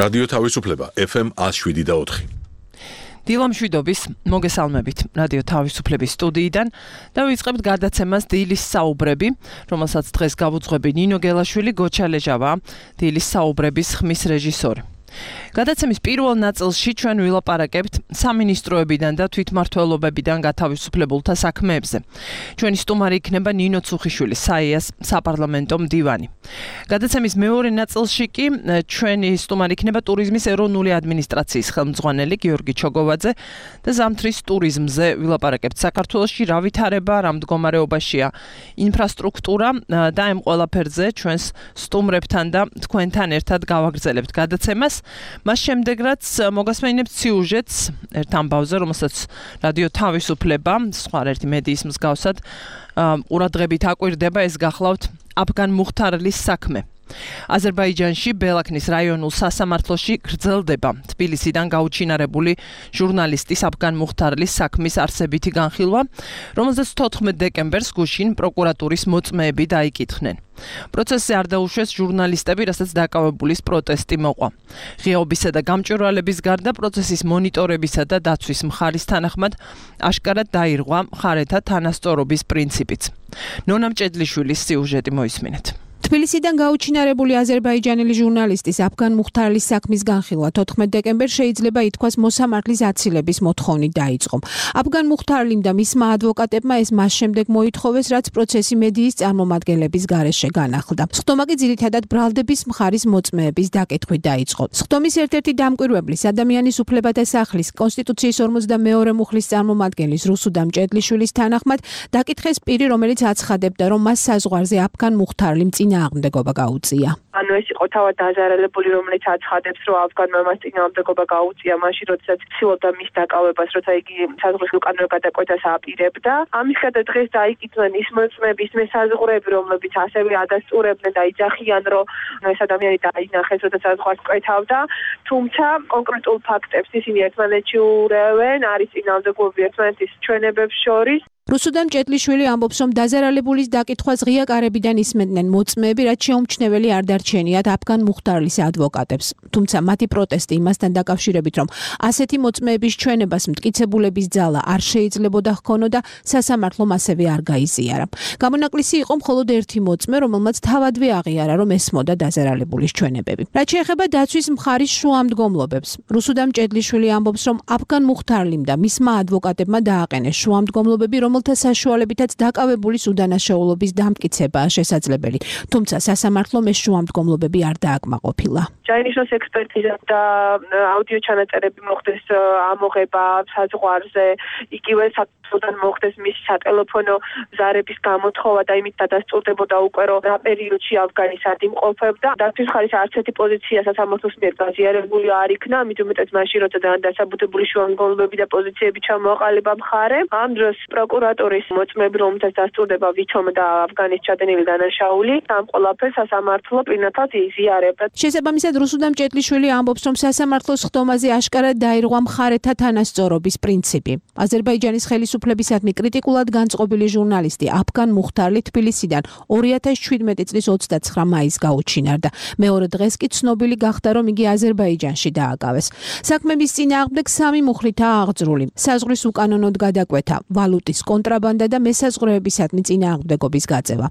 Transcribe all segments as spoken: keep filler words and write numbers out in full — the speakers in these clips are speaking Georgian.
რადიო თავისუფლება ეფ ემ one oh seven და four. დილამ შვიდობის მოგესალმებით რადიო თავისუფლების სტუდიიდან და ვიწყებთ გადაცემას დილის საუბრები, რომელსაც დღეს გავუძღვები ნინო გელაშვილი, გოჩა ლეჟავა, დილის საუბრების ხმის რეჟისორი. გადაცემის პირველ ნაწილში ჩვენ ვილაპარაკებთ სამინისტროებიდან და თვითმმართველობებიდან გათავისუფლებულთა საქმეებზე. ჩვენი სტუმარი იქნება ნინო ცუხიშვილი, საიას საპარლამენტო მდივანი. გადაცემის მეორე ნაწილში კი ჩვენი სტუმარი იქნება ტურიზმის ეროვნული ადმინისტრაციის ხელმძღვანელი გიორგი ჩოგოვაძე და ზამთრის ტურიზმზე ვილაპარაკებთ. საქართველოში რა ვითარება, რა მდგომარეობაშია ინფრასტრუქტურა და ამ ყველაფერზე ჩვენს სტუმრებთან და თქვენთან ერთად გავაგრძელებთ გადაცემას. მას შემდეგ რაც მოგასმენინებთ სიუჟეტს ერთ ამბავზე, რომელსაც რადიო თავისუფლება, სხვა ერთი მედიის მსგავსად ყურადღებით აკვირდება, ეს გახლავთ აფგან მუხთარლის საქმე. აზერბაიჯანში ბელაქნის რაიონულ სასამართლოში გრძელდება თბილისიდან გაუჩინარებული ჟურნალისტის აფგან მუხთარლის საქმის არსებითი განხილვა, რომელზეც თოთხმეტ დეკემბერს გუშინ პროკურატურის მოწმეები დაიკითხნენ. პროცესზე არ დაუშვეს ჟურნალისტები, რასაც დაკავებულის პროტესტი მოყვა. ღიაობისა და გამჭვირვალების გარდა პროცესის მონიტორებისა და დაცვის მხარის თანახმად აშკარად დაირღვა მხარეთა თანასწორობის პრინციპიც. ნონა მჭედლიშვილის სიუჟეტი მოისმინეთ. თბილისიდან გაუჩინარებული აზერბაიჯანელი ჟურნალისტის აფგან მუხთარლის საქმის განხილვა თოთხმეტ დეკემბერს შეიძლება ითქვას მოსამართლის აცილების მოთხოვნით დაიწყო. აფგან მუხთარლიმ და მისმა ადვოკატებმა ეს მას შემდეგ მოითხოვეს, რაც პროცესი მედიის წარმომადგენლების გარეშე განახლდა. სხდომა კი ძირითადად ბრალდების მხარის მოწმეების დაკითხვით დაიწყო. სხდომის ერთ-ერთი დამკვირვებლის ადამიანის უფლებათა სახლის კონსტიტუციის ორმოცდამეორე მუხლის წარმომადგენლის რუსუდამ ჭედლიშვილის თანახმად დაკითხეს პირი, რომელიც აცხადებდა, რომ მას საზღვარზე აფგან მუხთარლიმ წინააღმდეგობა გაუწია. ანუ ეს იყო თავად დაზარალებული, რომელიც აცხადებს, რომ აფგანმა მას წინააღმდეგობა გაუწია მაშინ, როდესაც ცდილობდა მის დაკავებას, როცა იგი საზღვრის უკანონო გადაკვეთას აპირებდა. ამის გარდა დღეს დაიკითხნენ ის მოწმეები, ის მესაზღვრეები, რომლებიც ასევე ადასტურებდნენ და იძახიან, რომ ეს ადამიანი დაინახეს, როცა საზღვარს კვეთავდა, თუმცა კონკრეტულ ფაქტებს ისინი ერთმანეთში ურევენ, არის წინააღმდეგობები ერთმანეთის ჩვენებებს შორის. რუსუდამ ჭედლიშვილი ამბობს, რომ დაზარალებულის დაკითხვას ღია კარებიდან ისმენდნენ მოწმეები, რაც შეუმჩნეველი არ დარჩენიათ აფგან მუხთარლის ადვოკატებს. თუმცა მათი პროტესტი იმასთან დაკავშირებით, რომ ასეთი მოწმეების ჩვენებას მტკიცებულების ძალა არ შეიძლებოდა ჰქონოდა, სასამართლომ ასევე არ გაიზიარა. გამონაკლისი იყო მხოლოდ ერთი მოწმე, რომელმაც თავადვე აღიარა, რომ ესმოდა დაზარალებულის ჩვენებები. რაც შეეხება დაცვის მხარის შუამდგომლობებს, რუსუდამ ჭედლიშვილი ამბობს, რომ აფგან მუხთარლიმ და მისმა ადვოკატებმა დააყენეს შუამდგომლობები, რომელთა საშუალებითაც დაკავებულის უდანაშაულობის დამტკიცებაა შესაძლებელი. თუმცა სასამართლომ ეს შუამდგომლობები არ დააკმაყოფილა. ჩაინიშნოს ექსპერტიზა და აუდიო ჩანაწერები მოხდეს ამოღება საზღვარზე, იგივე საქართველოსთან მოხდეს მისი სატელეფონო ზარების გამოთხოვა და იმით დადასტურდებოდა უკვე, რომ რა პერიოდში ავგანის ადიმყოფებდა. დაცვის მხარის არც ერთი პოზიცია სასამართლოს მიერ გაზიარებული არ იქნა, ამით უმეტეს მაშინ, როცა დასაბუთებული შუამდგომლობები და პოზიციები ჩამოაყალიბა მხარემ. ამ დროს პროკურატურის მოწმეები, რომელთაც დასტურდება ვითომ და ავგანის ჩადენილი დანაშაული, ამ ყველაფერს სასამართლო პირნათად იზიარებდა. შესაბამისად, რუსუდამ ჭედლიშვილი ამბობს, რომ სასამართლოს ხდომაზე აშკარად დაირღვა მხარეთა თანასწორობის პრინციპი. აზერბაიჯანის ხელისუფლებისადმი კრიტიკულად განწყობილი ჟურნალისტი აფგან მუხთარლი თბილისიდან ორი ათასი შვიდმეტი წლის ოცდაცხრა მაისს გაუჩინარდა. მეორე დღეს კი ცნობილი გახდა, რომ იგი აზერბაიჯანში დააკავეს. საქმების წინააღმდეგ სამი მუხლითაა აღძრული: საზღვრის უკანონოდ გადაკვეთა, ვალუტის კონტრაბანდა და მესაზღვრეებისადმი წინააღმდეგობის გაწევა.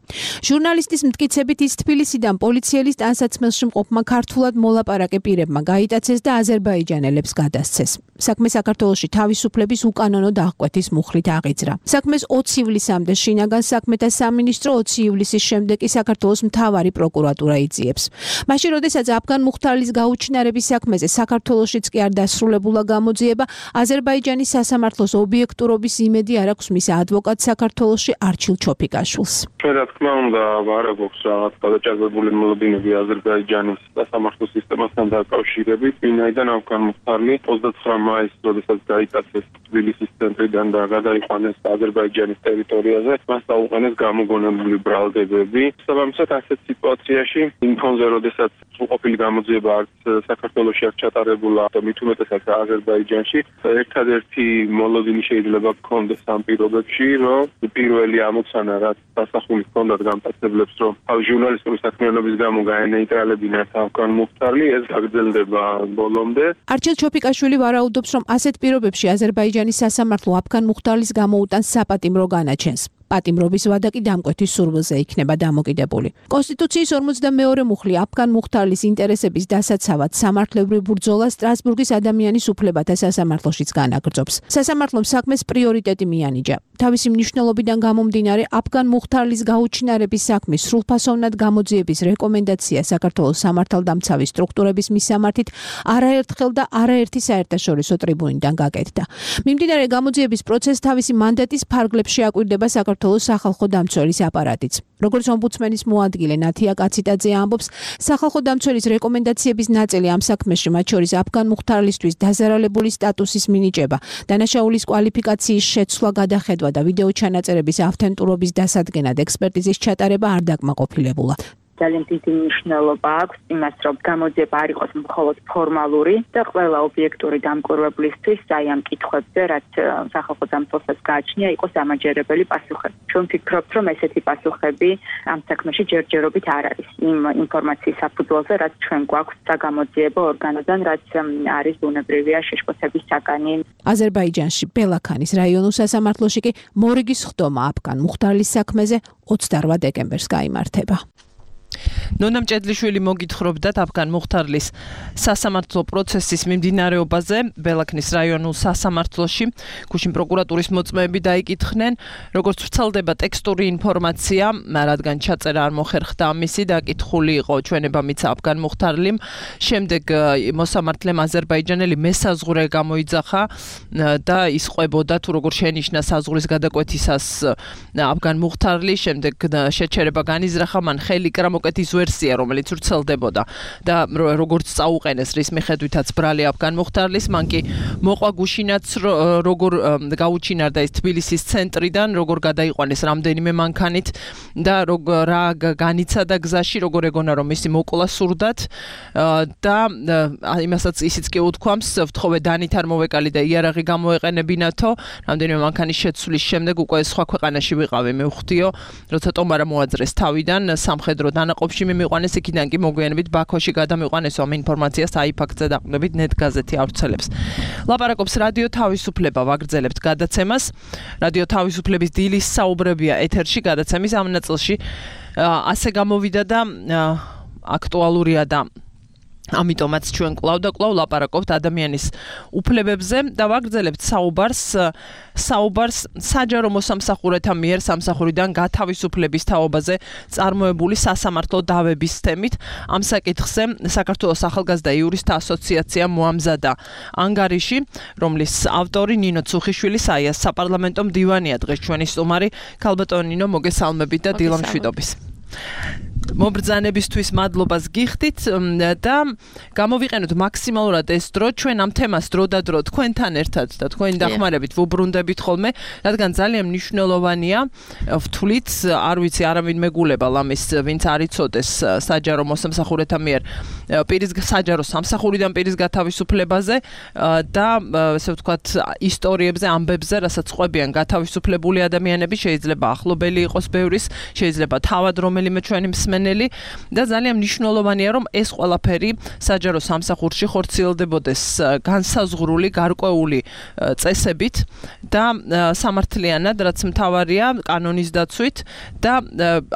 ჟურნალისტის მტკიცებით ის თბილისიდან პოლიციელის ტანსაცმელში მყოფმა ქართულად მოლაპარაკე პირებმა გაიტაცეს და აზერბაიჯანელებს გადასცეს. საქმე საქართველოში თავისუფლების უკანონო დაღკვეთის მუხლით აღიძრა. საქმეს ოცი ივლისამდე შინაგან საქმეთა სამინისტრო, ოცი ივლისის შემდეგ კი საქართველოს მთავარი პროკურატურა იძიებს. მაშინ, როდესაც აფგან მუხთარლის გაუჩინარების საქმეზე საქართველოშიც კი არ დასრულებულა გამოძიება, აზერბაიჯანის სასამართლოს ობიექტურობის იმედი არ აქვს მის ადვოკატ საქართველოში არჩილ ჩოფიკაშვილს. ჩვენ რა თქმა უნდა არ აქვს რაღაც გადაჭარბებული მოლოდინები აზერბაიჯანის სასამართლო სისტემასთან დაკავშირებით, ვინაიდან აფგან მუხთარლი ოცდაცხრა მაისს, როდესაც დაიტაცეს თბილისის ცენტრიდან და გადაიყვანეს აზერბაიჯანის ტერიტორიაზე, მას დაუყენეს გამოგონებული ბრალდებები. შესაბამისად, ასეთ სიტუაციაში იმ ფონზე, როდესაც სრულყოფილი გამოძიება არც საქართველოში არ ჩატარებულა და მით უმეტესად აზერბაიჯანში, ერთადერთი მოლოდინი შეიძლება გქონდეს ამ პირობებში პირობებში, რომ პირველი ამოცანა რაც სასახულის ჰქონდათ გამტაცებლებს, რომ თავი ჟურნალისტური საქმიანობის გამო გაენეიტრალებინათ ავგან მუხტარლი, ეს გაგრძელდება ბოლომდე. არჩილ ჩოფიკაშვილი ვარაუდობს, რომ ასეთ პირობებში აზერბაიჯანის სასამართლო ავგან მუხტარლის გამოუტანს საპატიმრო განაჩენს. პატიმრობის ვადა კი დამკვეთის სურვილზე იქნება დამოკიდებული. კონსტიტუციის ორმოცდამეორე მუხლი ავგან მუხტარლის ინტერესების დასაცავად სამართლებრივ ბრძოლა სტრასბურგის ადამიანის უფლებათა სასამართლოშიც განაგრძობს. სასამართლომ საქმეს პრიორიტეტი მიანიჭა. თავისი მნიშვნელობიდან გამომდინარე, ავგან მუხტარლის გაუჩინარების საქმის სრულფასოვნად გამოძიების რეკომენდაცია საქართველოს სამართალდამცავი სტრუქტურების მისამართით არაერთხელ და არაერთი საერთაშორისო ტრიბუნიდან გაკეთდა. მიმდინარე გამოძიების პროცესს თავისი მანდატის ფარგლებს შეაკვირდება საქართველოს სახალხო დამცველის აპარატიც. როგორც ომბუდსმენის მოადგილე ნათია კაციტაძე ამბობს, სახალხო დამცველის რეკომენდაციების ნაწილი ამ საქმეში, მათ შორის ავგან მუხტარლისთვის დაზარალებული სტატუსის მინიჭება, დანაშაულის კვალიფიკაციის შეცვლა, გადახედვა და ვიდეო ჩანაწერების ავთენტურობის დასადგენად ექსპერტიზის ჩატარება არ დაკმაყოფილებულა. ძალიან დიდი მნიშვნელობა აქვს იმას, რომ გამოძიება არ იყოს მხოლოდ ფორმალური და ყველა ობიექტური დამკვირვებლისთვის აი ამ კითხვებზე, რაც სახალხო დამცველსაც გააჩნია, იყოს ამაჯერებელი პასუხები. ჩვენ ვფიქრობთ, რომ ესეთი პასუხები ამ საქმეში ჯერჯერობით არ არის იმ ინფორმაციის საფუძველზე, რაც ჩვენ გვაქვს საგამოძიებო ორგანოდან, რაც არის ბუნებრივია შეშფოთების საგანი. აზერბაიჯანში ბელაქანის რაიონულ სასამართლოში კი მორიგის ხდომა ავგან მუხტარლის საქმეზე ოცდაორ დეკემბერს გაიმართება. ნონა მჭედლიშვილი მოგითხრობდათ ავგან მუხტარლის სასამართლო პროცესის მიმდინარეობაზე ბელაქნის რაიონულ სასამართლოში. გუშინ პროკურატურის მოწმეები დაიკითხნენ, როგორც ვრცელდება ტექსტური ინფორმაცია, რადგან ჩაწერა არ მოხერხდა ამისი, დაკითხული იყო ჩვენებამიც ავგან მუხტარლიმ. შემდეგ მოსამართლემ აზერბაიჯანელი მესაზღვრე გამოიძახა და ის ყვებოდა თუ როგორ შენიშნა საზღვრის გადაკვეთისას ავგან მუხტარლი. შემდეგ შეჩერება განიზრახა, მან ხელი კრა მოკეთის ვერსია, რომელიც ვრცელდებოდა და როგორც წაუყენეს რის მიხედვითაც ბრალი ავგან მუხტარლის, მან კი მოყვა გუშინაც როგორ გაუჩინარდა ის თბილისის ცენტრიდან, როგორ გადაიყვანეს რამდენიმე მანქანით და რა განიცადა გზაში, როგორ ეგონა რომ ისი მოკლა სურდათ და იმასაც ისიც კი უთქვამს, ვთხოვე დანით არ მოვეკალი და იარაღი გამოეყენებინათო, რამდენიმე მანქანის შეცვლის შემდეგ უკვე სხვა ქვეყანაში ვიყავი, მე ვხვდიო, როცა ტომარა მოაძრეს თავიდან სამხედრო დანაყოფში მიმიყვანეს, იქიდან კი მოგვიანებით ბაქოში გადამიყვანეს ამ ინფორმაციას აი ფაქტზე დაყრდნობით ნეტ გაზეთი ავრცელებს. ლაპარაკობს რადიო თავისუფლება, ვაგრძელებთ გადაცემას. რადიო თავისუფლების დილის საუბრებია ეთერში, გადაცემის ამ ნაწილში ასე გამოვიდა და აქტუალურია და ამიტომაც ჩვენ კვლავ და კვლავ ლაპარაკობთ ადამიანის უფლებებზე და ვაგრძელებთ საუბარს საუბარს საჯარო მოსამსახურეთა მიერ სამსახურიდან გათავისუფლების თაობაზე წარმოებული სასამართლო დავების თემით. ამ საკითხზე საქართველოს ახალგაზრდა იურისტთა ასოციაცია მოამზადა ანგარიში, რომლის ავტორი ნინო ცუხიშვილი საიას საპარლამენტო მდივანია. დღეს ჩვენი სტუმარი. ქალბატონო ნინო, მოგესალმებით და დილამშვიდობის. მობრძანებისთვის მადლობას გიხდით და გამოვიყენოთ მაქსიმალურად ეს დრო, ჩვენ ამ თემას დრო და დრო თქვენთან ერთად და თქვენი დახმარებით ვუბრუნდებით ხოლმე, რადგან ძალიან მნიშვნელოვანია, ვთვლით, არ ვიცი, არავინ მეგულება ლამის, ვინც არ იცოდეს საჯარო მოსამსახურეთა მიერ პირის საჯარო სამსახურიდან პირის გათავისუფლებაზე და ესე ვთქვათ ისტორიებზე, ამბებზე, რასაც ყვებიან გათავისუფლებული ადამიანები, შეიძლება ახლობელი იყოს ბევრის, შეიძლება თავად რომელიმე ჩვენი მსმენელი და ძალიან მნიშვნელოვანია, რომ ეს ყველაფერი საჯარო სამსახურში ხორციელდებოდეს განსაზღვრული, გარკვეული წესებით და სამართლიანად, რაც მთავარია კანონის დაცვით და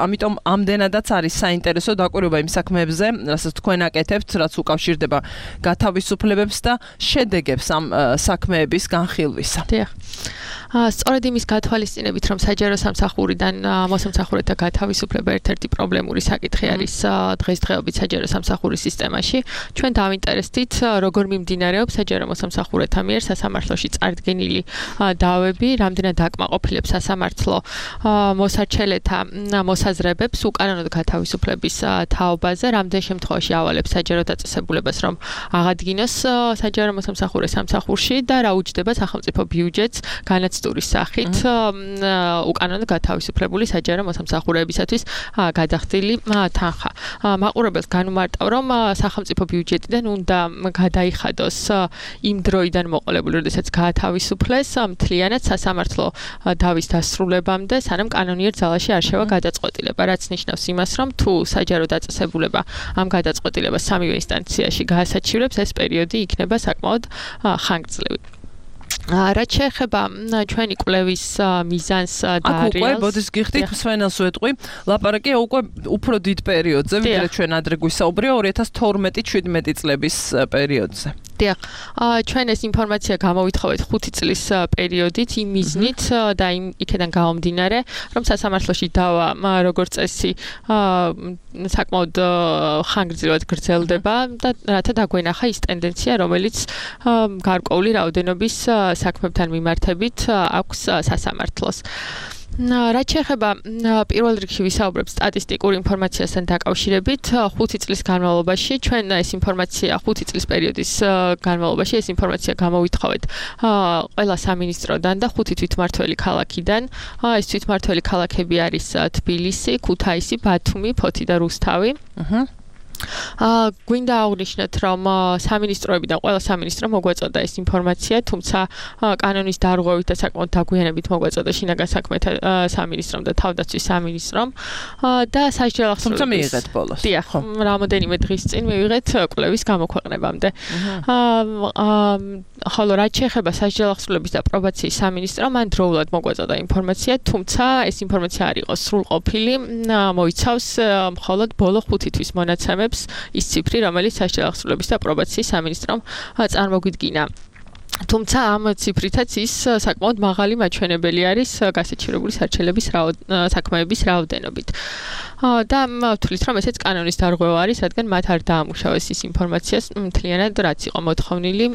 ამიტომ ამდენადაც არის საინტერესო დაკვირვება იმ საქმეებზე, რასაც თქვენ აკეთებთ, რაც უკავშირდება გათავისუფლებებს და შედეგებს ამ საქმეების განხილვისა. დიახ. სწორედ იმის გათვალისწინებით, რომ საჯარო სამსახურიდან მოსამსახურეთა გათავისუფლება ერთ-ერთი პრობლემური საკითხი არის დღესდღეობით საჯარო სამსახურის სისტემაში, ჩვენ დავინტერესდით, როგორ მიმდინარეობს საჯარო მოსამსახურეთა მიერ სასამართლოში წარდგენილი დავები, რამდენად აკმაყოფილებს სასამართლო მოსარჩელეთა მოსაზრებებს უკანონოდ გათავისუფლების თაობაზე, რამდენ შემთხვევაში ავალებს საჯარო დაწესებულებას, რომ აღადგინოს საჯარო მოსამსახურე სამსახურში და რა უჯდება სახელმწიფო ბიუჯეტს განაც ტურისტული სახით უკანონო გათავისუფლებული საჯარო მოსამსახურეებისათვის გადახდილი თანხა. მაყურებელს განუმარტავ, რომ სახელმწიფო ბიუჯეტიდან უნდა გადაიხადოს იმ დროიდან მოყოლებული, როდესაც გაათავისუფლეს მთლიანად სასამართლო დავის დასრულებამდე, სანამ კანონიერ ძალაში არ შევა გადაწყვეტილება, რაც ნიშნავს იმას, რომ თუ საჯარო დაწესებულება ამ გადაწყვეტილებას სამივე ინსტანციაში გაასაჩივრებს, ეს პერიოდი იქნება საკმაოდ ხანგრძლივი. რაც შეეხება ჩვენი კვლევის მიზანს და აქ უკვე ბოდის გიხდით მსვენელს ვეტყვი ლაპარაკია უკვე უფრო დიდ პერიოდზე ვიდრე ჩვენ ადრე გვისაუბრია ორი ათას თორმეტი შვიდმეტი წლების პერიოდზე. დიახ, ჩვენ ეს ინფორმაცია გამოვითხოვეთ ხუთი წლის პერიოდით იმ მიზნით და იმ იქიდან გამომდინარე, რომ სასამართლოში დავა როგორც წესი საკმაოდ ხანგრძლივად გრძელდება და რათა დაგვენახა ის ტენდენცია, რომელიც გარკვეული რაოდენობის საქმებთან მიმართებით აქვს სასამართლოს. რაც შეეხება პირველ რიგში ვისაუბრებ სტატისტიკურ ინფორმაციასთან დაკავშირებით, ხუთი წლის განმავლობაში ჩვენ ეს ინფორმაცია ხუთი წლის პერიოდის განმავლობაში ეს ინფორმაცია გამოვითხოვეთ ყველა სამინისტროდან და ხუთი თვითმმართველი ქალაქიდან. ეს თვითმმართველი ქალაქები არის თბილისი, ქუთაისი, ბათუმი, ფოთი და რუსთავი. აჰა. აა გვინდა აღნიშნოთ, რომ სამინისტროებიდან ყველა სამინისტრო მოგვეწოდა ეს ინფორმაცია, თუმცა კანონის დარღვევით და საკმაოდ დაგვიანებით მოგვეწოდა შინაგან საქმეთა სამინისტრომ და თავდაცვის სამინისტრომ და სასჯელ ახსნილების. თუმცა მიიღეთ ბოლოს. დიახ, რამოდენიმე დღის წინ მივიღეთ კვლევის გამოქვეყნებამდე. აა ხოლო რაც შეეხება სასჯელ ახსნილების და პრობაციის სამინისტრომ, მან დროულად მოგვეწოდა ინფორმაცია, თუმცა ეს ინფორმაცია არ იყო სრულყოფილი, მოიცავს მხოლოდ ბოლო ხუთი თვის მონაცემებს ის ციფრი, რომელიც სასჯელ ახსნილების და პრობაციის სამინისტრომ წარმოგვიდგინა. თუმცა ამ ციფრითაც ის საკმაოდ მაღალი მაჩვენებელი არის გასაჩივრებული სარჩელების საქმეების რაოდენობით. და ვთვლით, რომ ესეც კანონის დარღვევა არის, რადგან მათ არ დაამუშავეს ის ინფორმაცია მთლიანად, რაც იყო მოთხოვნილი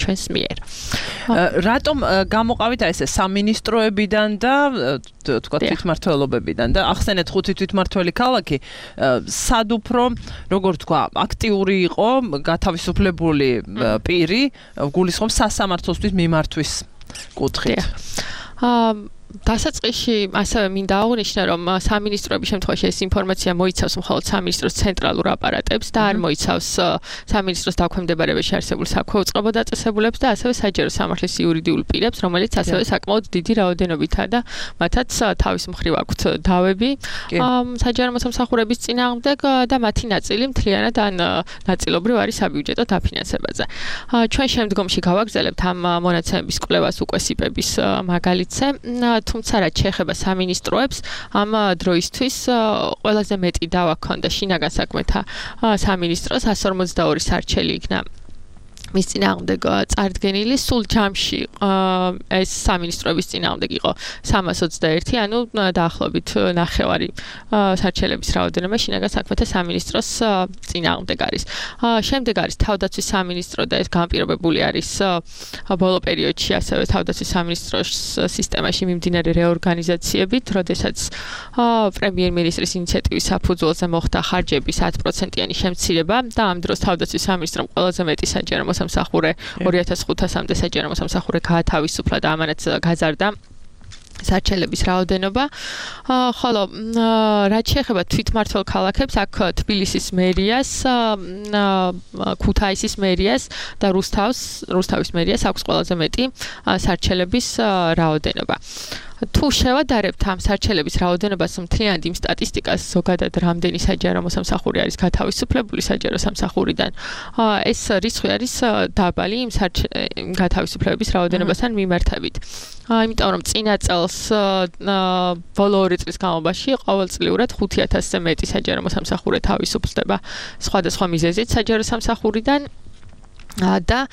ჩვენს მიერ. რატომ გამოყავით აი ესე სამინისტროებიდან და თქვა თვითმმართველობებიდან და ახსენეთ ხუთი თვითმმართველი ქალაქი, სად უფრო, როგორ თქვა, აქტიური იყო გათავისუფლებული პირი, გულისხმობს სასამართლოსთვის მიმართვის კუთხით. აა დასაწყისში ასევე მინდა აღნიშნო, რომ სამინისტროების შემთხვევაში ეს ინფორმაცია მოიცავს მხოლოდ სამინისტროს ცენტრალურ აპარატებს და არ მოიცავს სამინისტროს დაქვემდებარებაში არსებულ საქვეუწყებო დაწესებულებს და ასევე საჯარო სამართლის იურიდიულ პირებს, რომელიც ასევე საკმაოდ დიდი რაოდენობითაა და მათაც თავის მხრივ აქვთ დავები საჯარო მოსამსახურების წინააღმდეგ და მათი ნაწილი მთლიანად ან ნაწილობრივ არის საბიუჯეტო დაფინანსებაზე. ჩვენ შემდგომში გავაგრძელებთ ამ მონაცემების კვლევას უკვე სიპების მაგალითზე. თუმცა რაც შეეხება სამინისტროებს, ამ დროისთვის ყველაზე მეტი დავა ჰქონდა შინაგან საქმეთა სამინისტროს εκατს ორმოცდაორი სარჩელი იქნა მის წინააღმდეგ წარდგენილი, სულ ჯამში ეს სამინისტროების წინააღმდეგ იყო სამას ოცდაერთი, ანუ დაახლოებით ნახევარი სარჩელების რაოდენობა შინაგან საქმეთა სამინისტროს წინააღმდეგ არის. შემდეგ არის თავდაცვის სამინისტრო და ეს განპირობებული არის ბოლო პერიოდში ასევე თავდაცვის სამინისტროს სისტემაში მიმდინარე რეორგანიზაციებით, როდესაც პრემიერ-მინისტრის ინიციატივის საფუძველზე მოხდა ხარჯების ათი პროცენტიანი შემცირება და ამ დროს თავდაცვის სამინისტრომ ყველაზე მეტი საჯარო მოსამსახურე ორი ათას ხუთასამდე საჯარო მოსამსახურე გაათავისუფლა და ამანაც გაზარდა სარჩელების რაოდენობა. ხოლო რაც შეეხება თვითმმართველ ქალაქებს, აქ თბილისის მერიას, ქუთაისის მერიას და რუსთავს, რუსთავის მერიას აქვს ყველაზე მეტი სარჩელების რაოდენობა. თუ შევადარებთ ამ სარჩელების რაოდენობას მთლიანად იმ სტატისტიკას, ზოგადად რამდენი საჯარო მოსამსახური არის გათავისუფლებული საჯარო სამსახურიდან, ეს რიცხვი არის დაბალი იმ გათავისუფლების რაოდენობასთან მიმართებით. იმიტომ რომ წინა წელს ბოლო ორი წლის განმავლობაში ყოველწლიურად ხუთი ათასზე მეტი საჯარო მოსამსახურე თავისუფლდება სხვადასხვა მიზეზით საჯარო სამსახურიდან და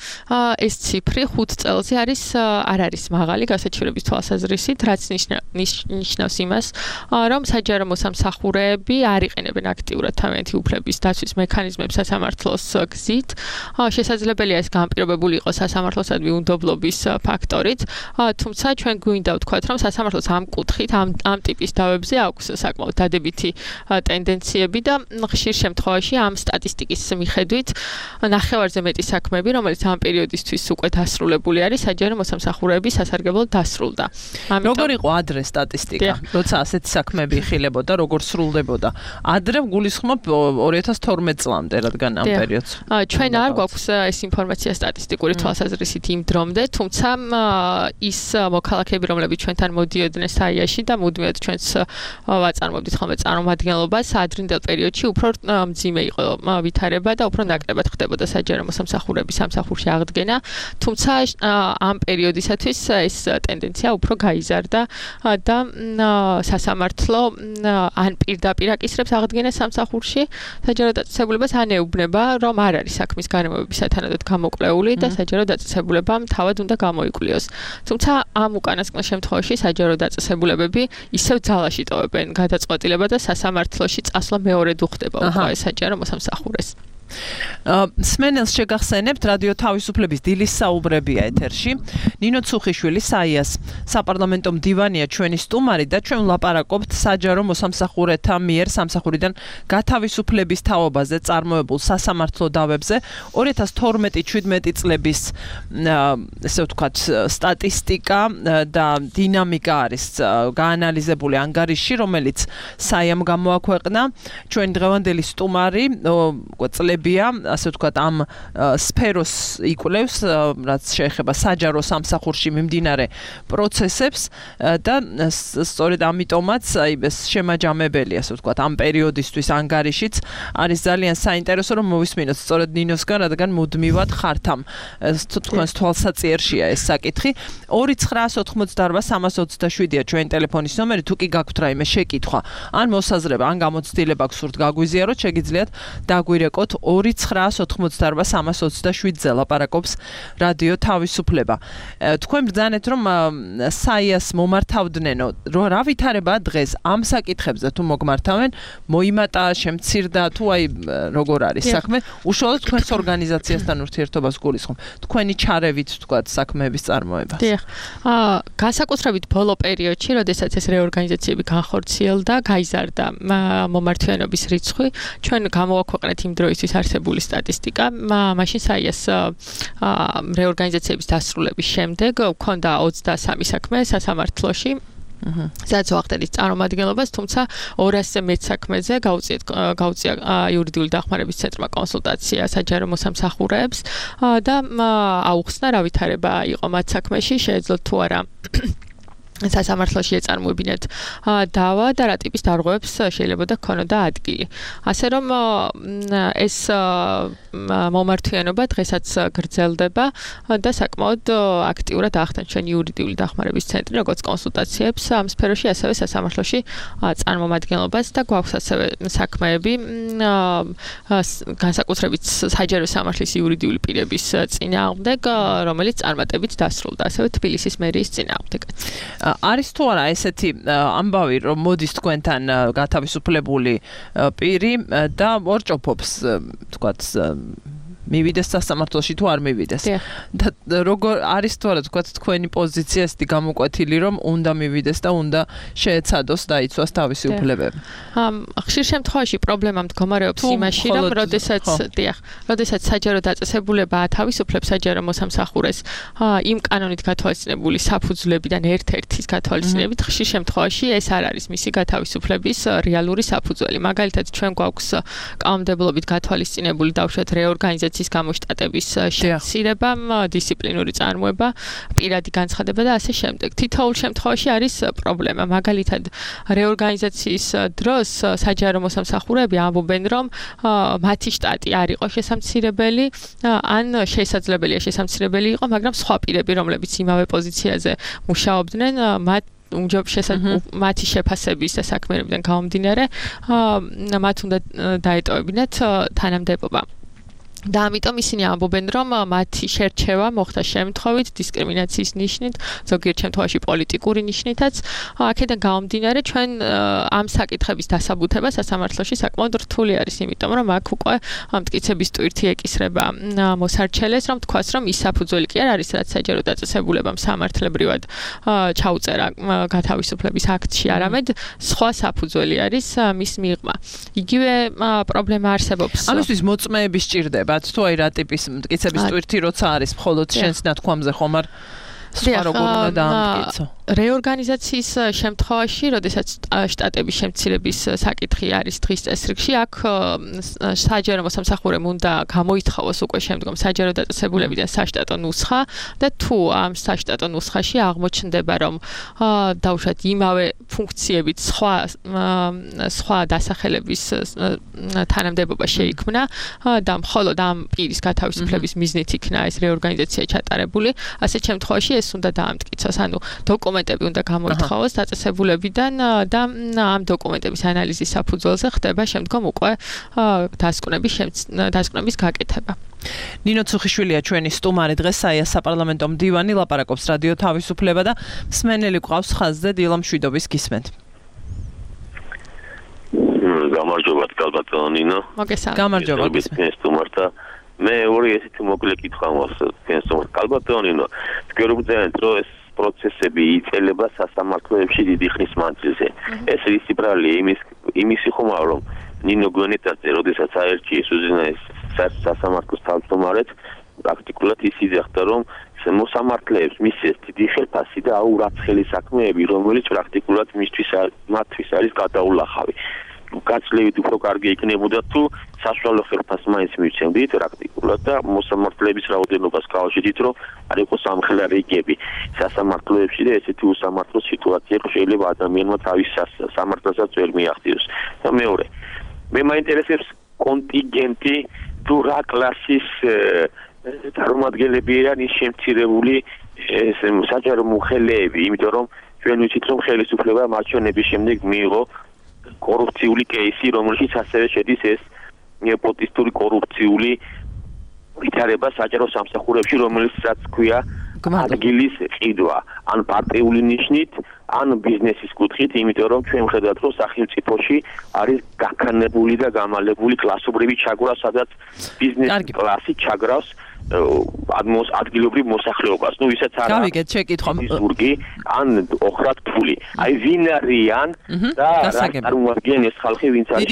ეს ციფრი ხუთ წელზე არის არ არის მაღალი გასაჩივრების თვალსაზრისით, რაც ნიშნავს იმას, რომ საჯარო მოსამსახურეები არ იყენებენ აქტიურად თავიანთი უფლების დაცვის მექანიზმებს სასამართლოს გზით. შესაძლებელია ეს განპირობებული იყოს სასამართლოსადმი უნდობლობის ფაქტორით, თუმცა ჩვენ გვინდა ვთქვათ, რომ სასამართლოს ამ კუთხით, ამ ამ ტიპის დავებზე აქვს საკმაოდ დადებითი ტენდენციები და ხშირ შემთხვევაში ამ სტატისტიკის მიხედვით ნახევარზე მეტი საქმე საქმეები, რომელიც ამ პერიოდისთვის უკვე დასრულებული არის, საჯარო მოსამსახურეების სასარგებლოდ დასრულდა. როგორ იყო ადრე სტატისტიკა? როცა ასეთი საქმეები იხილებოდა, როგორ სრულდებოდა? ადრე გულისხმობ ორი ათას თორმეტ წლამდე, რადგან ამ პერიოდს. ჩვენ არ გვაქვს ეს ინფორმაცია სტატისტიკური თვალსაზრისით იმ დრომდე, თუმცა ის მოქალაქეები, რომლებიც ჩვენთან მოდიოდნენ საიაში და მუდმივად ჩვენს ვაწარმოებდით ხოლმე წარმომადგენლობას, ადრინდელ პერიოდში უფრო მძიმე იყო ვითარება და უფრო ნაკლებად ხდებოდა საჯარო მოსამსახურეების სამსახურში აღდგენა, თუმცა ამ პერიოდისათვის ეს ტენდენცია უფრო გაიზარდა და სასამართლო ან პირდაპირ აკისრებს აღდგენას სამსახურში საჯარო დაწესებულებას, ან ეუბნება, რომ არ არის საქმის გარემოების სათანადოდ გამოკვლეული და საჯარო დაწესებულებამ თავად უნდა გამოიკვლიოს. თუმცა ამ უკანასკნელ შემთხვევაში საჯარო დაწესებულებები ისევ ძალაში ტოვებენ გადაწყვეტილება და სასამართლოში წასვლა მეორედ უხდება უკვე საჯარო მოსამსახურეს. სმენელს შეგახსენებთ რადიო თავისუფლების დილის საუბრებია ეთერში. ნინო ცუხიშვილი საიას საპარლამენტო მდივანია ჩვენი სტუმარი და ჩვენ ვლაპარაკობთ საჯარო მოსამსახურეთა მიერ სამსახურიდან გათავისუფლების თაობაზე წარმოებულ სასამართლო დავებზე. ორი ათას თორმეტი შვიდმეტი წლების ესე ვთქვათ სტატისტიკა და დინამიკა არის გაანალიზებული ანგარიშში, რომელიც საიამ გამოაქვეყნა. ჩვენ დღევანდელი სტუმარი წლებია, ასე ვთქვათ, ამ სფეროს იკვლევს, რაც შეეხება საჯარო სამსახურში მიმდინარე პროცესებს და სწორედ ამიტომაც აი ეს შემაჯამებელი, ასე ვთქვათ, ამ პერიოდისთვის ანგარიშიც არის ძალიან საინტერესო, რომ მოვისმინოთ სწორედ ნინოსგან, რადგან მუდმივად ხართ ამ თქვენს თვალსაწიერშია ეს საკითხი. ორი ცხრაას ოთხმოცდაორბა სამას ოცდაშვიდია ჩვენი ტელეფონის ნომერი, თუ კი გაქვთ რაიმე შეკითხვა, ან მოსაზრება, ან გამოცდილება გსურთ გაგვიზიაროთ, შეგიძლიათ დაგვირეკოთ ორი ცხრაას ოთხმოცდაორბა სამას ოცდაშვიდზე ლაპარაკობს რადიო თავისუფლება. თქვენ ბრძანეთ, რომ საიას მომართავდნენო, რა ვითარებაა დღეს ამ საკითხებზე თუ მოგმართავენ, მოიმატა, შემცირდა, თუ აი როგორ არის საქმე, უშუალოდ თქვენს ორგანიზაციასთან ურთიერთობას გულისხმობ. თქვენი ჩარევით თქვათ საქმეების წარმოებას. დიახ. აა განსაკუთრებით ბოლო პერიოდში, როდესაც ეს რეორგანიზაციები განხორციელდა, გაიზარდა მომართვიანობის რიცხვი, ჩვენ გამოვაქვეყნეთ იმ დროისთვის არსებული სტატისტიკა. მაშინ საიას რეორგანიზაციების დასრულების შემდეგ გვქონდა ოცდასამი საქმე სასამართლოში. სადაც ვახდენით წარმომადგენლობას, თუმცა ორასზე მეტ საქმეზე გაუწია იურიდიული დახმარების ცენტრმა კონსულტაცია საჯარო მოსამსახურეებს და აუხსნა რა ვითარება იყო მათ საქმეში, შეეძლოთ თუ არა სასამართლოში ეწარმოებინათ დავა და რა ტიპის დარღვევებს შეიძლება და ქონოდა ადგილი. ასე რომ ეს მომართვიანობა დღესაც გრძელდება და საკმაოდ აქტიურად ახდენს ჩვენ იურიდიული დახმარების ცენტრი, როგორც კონსულტაციებს ამ სფეროში, ასევე სასამართლოში წარმომადგენლობას და გვაქვს ასევე საქმეები განსაკუთრებით საჯარო სამართლის იურიდიული პირების წინააღმდეგ, რომელიც წარმატებით დასრულდა, ასევე თბილისის მერიის წინააღმდეგ. არის თუ არა ესეთი ამბავი, რომ მოდის თქვენთან გათავისუფლებული პირი და ორჭოფობს, თქვათ, მივიდეს სასამართლოში თუ არ მივიდეს. და როგორ არის თუ არა თქვათ თქვენი პოზიცია ესეთი გამოკვეთილი, რომ უნდა მივიდეს და უნდა შეეცადოს დაიცვას თავისი უფლებები. ხშირ შემთხვევაში პრობლემა მდგომარეობს იმაში, რომ როდესაც, დიახ, როდესაც საჯარო დაწესებულება ათავისუფლებს საჯარო მოსამსახურეს იმ კანონით გათვალისწინებული საფუძვლებიდან ერთ-ერთის გათვალისწინებით, ხშირ შემთხვევაში ეს არ არის მისი გათავისუფლების რეალური საფუძველი. მაგალითად, ჩვენ გვაქვს კანონმდებლობით გათვალისწინებული დავუშვათ რეორგანიზაცია გამოშტატების შემცირება, დისციპლინური წარმოება, პირადი განცხადება და ასე შემდეგ. თითოეულ შემთხვევაში არის პრობლემა. მაგალითად, რეორგანიზაციის დროს საჯარო მოსამსახურეები ამბობენ, რომ მათი შტატი არ იყო შესამცირებელი, ან შესაძლებელია შესამცირებელი იყო, მაგრამ სხვა პირები, რომლებიც იმავე პოზიციაზე მუშაობდნენ, მათ მათი შეფასების და საქმიანობიდან გამომდინარე, მათ უნდა დაეტოვებინათ თანამდებობა. და ამიტომ ისინი ამბობენ, რომ მათი შერჩევა მოხდა შემთხვევით, დისკრიმინაციის ნიშნით, ზოგიერთ შემთხვევაში პოლიტიკური ნიშნითაც. აქედან გამომდინარე, ჩვენ ამ საკითხების დასაბუთება სასამართლოში საკმაოდ რთული არის, იმიტომ რომ აქ უკვე მტკიცების ტვირთი ეკისრება მოსარჩელეს, რომ თქვას, რომ ის საფუძველი კი არ არის, რაც საჯარო დაწესებულებამ სამართლებრივად ჩაუწერა გათავისუფლების აქტში, არამედ სხვა საფუძველი არის მის მიღმა. იგივე პრობლემა არსებობს. ამისთვის მოწმეები სჭირდება. გეუბნებათ თუ აი რა ტიპის მტკიცების ტვირთი როცა არის მხოლოდ შენს ნათქვამზე ხომ არ სხვა როგორ უნდა დაამტკიცო რეორგანიზაციის შემთხვევაში, როდესაც შტატების შემცირების საკითხი არის დღის წესრიგში, აქ საჯარო მოსამსახურემ უნდა გამოითხოვოს უკვე შემდგომ საჯარო დაწესებულებიდან საშტატო ნუსხა და თუ ამ საშტატო ნუსხაში აღმოჩნდება, რომ დაუშვათ იმავე ფუნქციებით სხვა სხვა დასახელების თანამდებობა შეიქმნა და მხოლოდ ამ პირის გათავისუფლების მიზნით იქნა ეს რეორგანიზაცია ჩატარებული, ასეთ შემთხვევაში ეს უნდა დაამტკიცოს, ანუ დოკუმენტები უნდა გამოითხოვოს დაწესებულებიდან და ამ დოკუმენტების ანალიზის საფუძველზე ხდება შემდგომ უკვე დასკვნების დასკვნების გაკეთება. ნინო ცუხიშვილია ჩვენი სტუმარი დღეს საია საპარლამენტო მდივანი ლაპარაკობს რადიო თავისუფლება და მსმენელი გვყავს ხაზზე დილა მშვიდობის გისმენთ. გამარჯობა კალბატონო ნინო. მოგესალმებით. გამარჯობა გისმენთ. სტუმართა მე ორი ესეთი მოკლე კითხვა მაქვს სტუმარ კალბატონო ნინო. თქვენ რომ ეს პროცესები იწელება სასამართლოებში დიდი ხნის მანძილზე. ეს ის ციბრალი იმის იმისი ხომა რომ ნინო გვენეტაძე როდესაც აერჩიეს უზენაეს სასამართლოს თავმჯდომარედ პრაქტიკულად ის იძახდა რომ მოსამართლეებს მისცეს დიდი ხელფასი და აურაცხელი საქმეები რომელიც პრაქტიკულად მისთვის მათთვის არის გადაულახავი. გაცლებით უფრო კარგი იქნებოდა თუ საშუალო ხელფასს მაინც მივცემდით პრაქტიკულად და მოსამართლეების რაოდენობას გავაშვიდით რომ არ იყოს ამხელარიგები სასამართლოებში და ესეთი უსამართლო სიტუაცია შეიძლება ადამიანმა თავის სამართალსაც ვერ მიაღწიოს. და მეორე მე მაინტერესებს კონტინგენტი თუ რა კლასის წარმომადგენლები არიან ის შემცირებული საჯარო მოხელეები, იმიტომ რომ ჩვენ ვიცით რომ ხელისუფლება მარჩვენების შემდეგ მიიღო კორუფციული კეისი, რომელშიც ასევე შედის ეს ნეპოტისტური კორუფციული ვითარება საჯარო სამსახურებში, რომელსაც ქვია ადგილის ყიდვა, ან პარტიული ნიშნით, ან ბიზნესის კუთხით, იმიტომ რომ ჩვენ ვხედავთ, რომ სახელმწიფოში არის გაქანებული და გამალებული კლასობრივი ჩაგვრა, სადაც ბიზნეს კლასი ჩაგრავს ადგილობრივ მოსახლეობას. ნუ ისაც არა. გავიგეთ, შეკითხვა. ზურგი ან ოხრად ფული. აი ვინ არიან და წარმოადგენენ ეს ხალხი, ვინც არის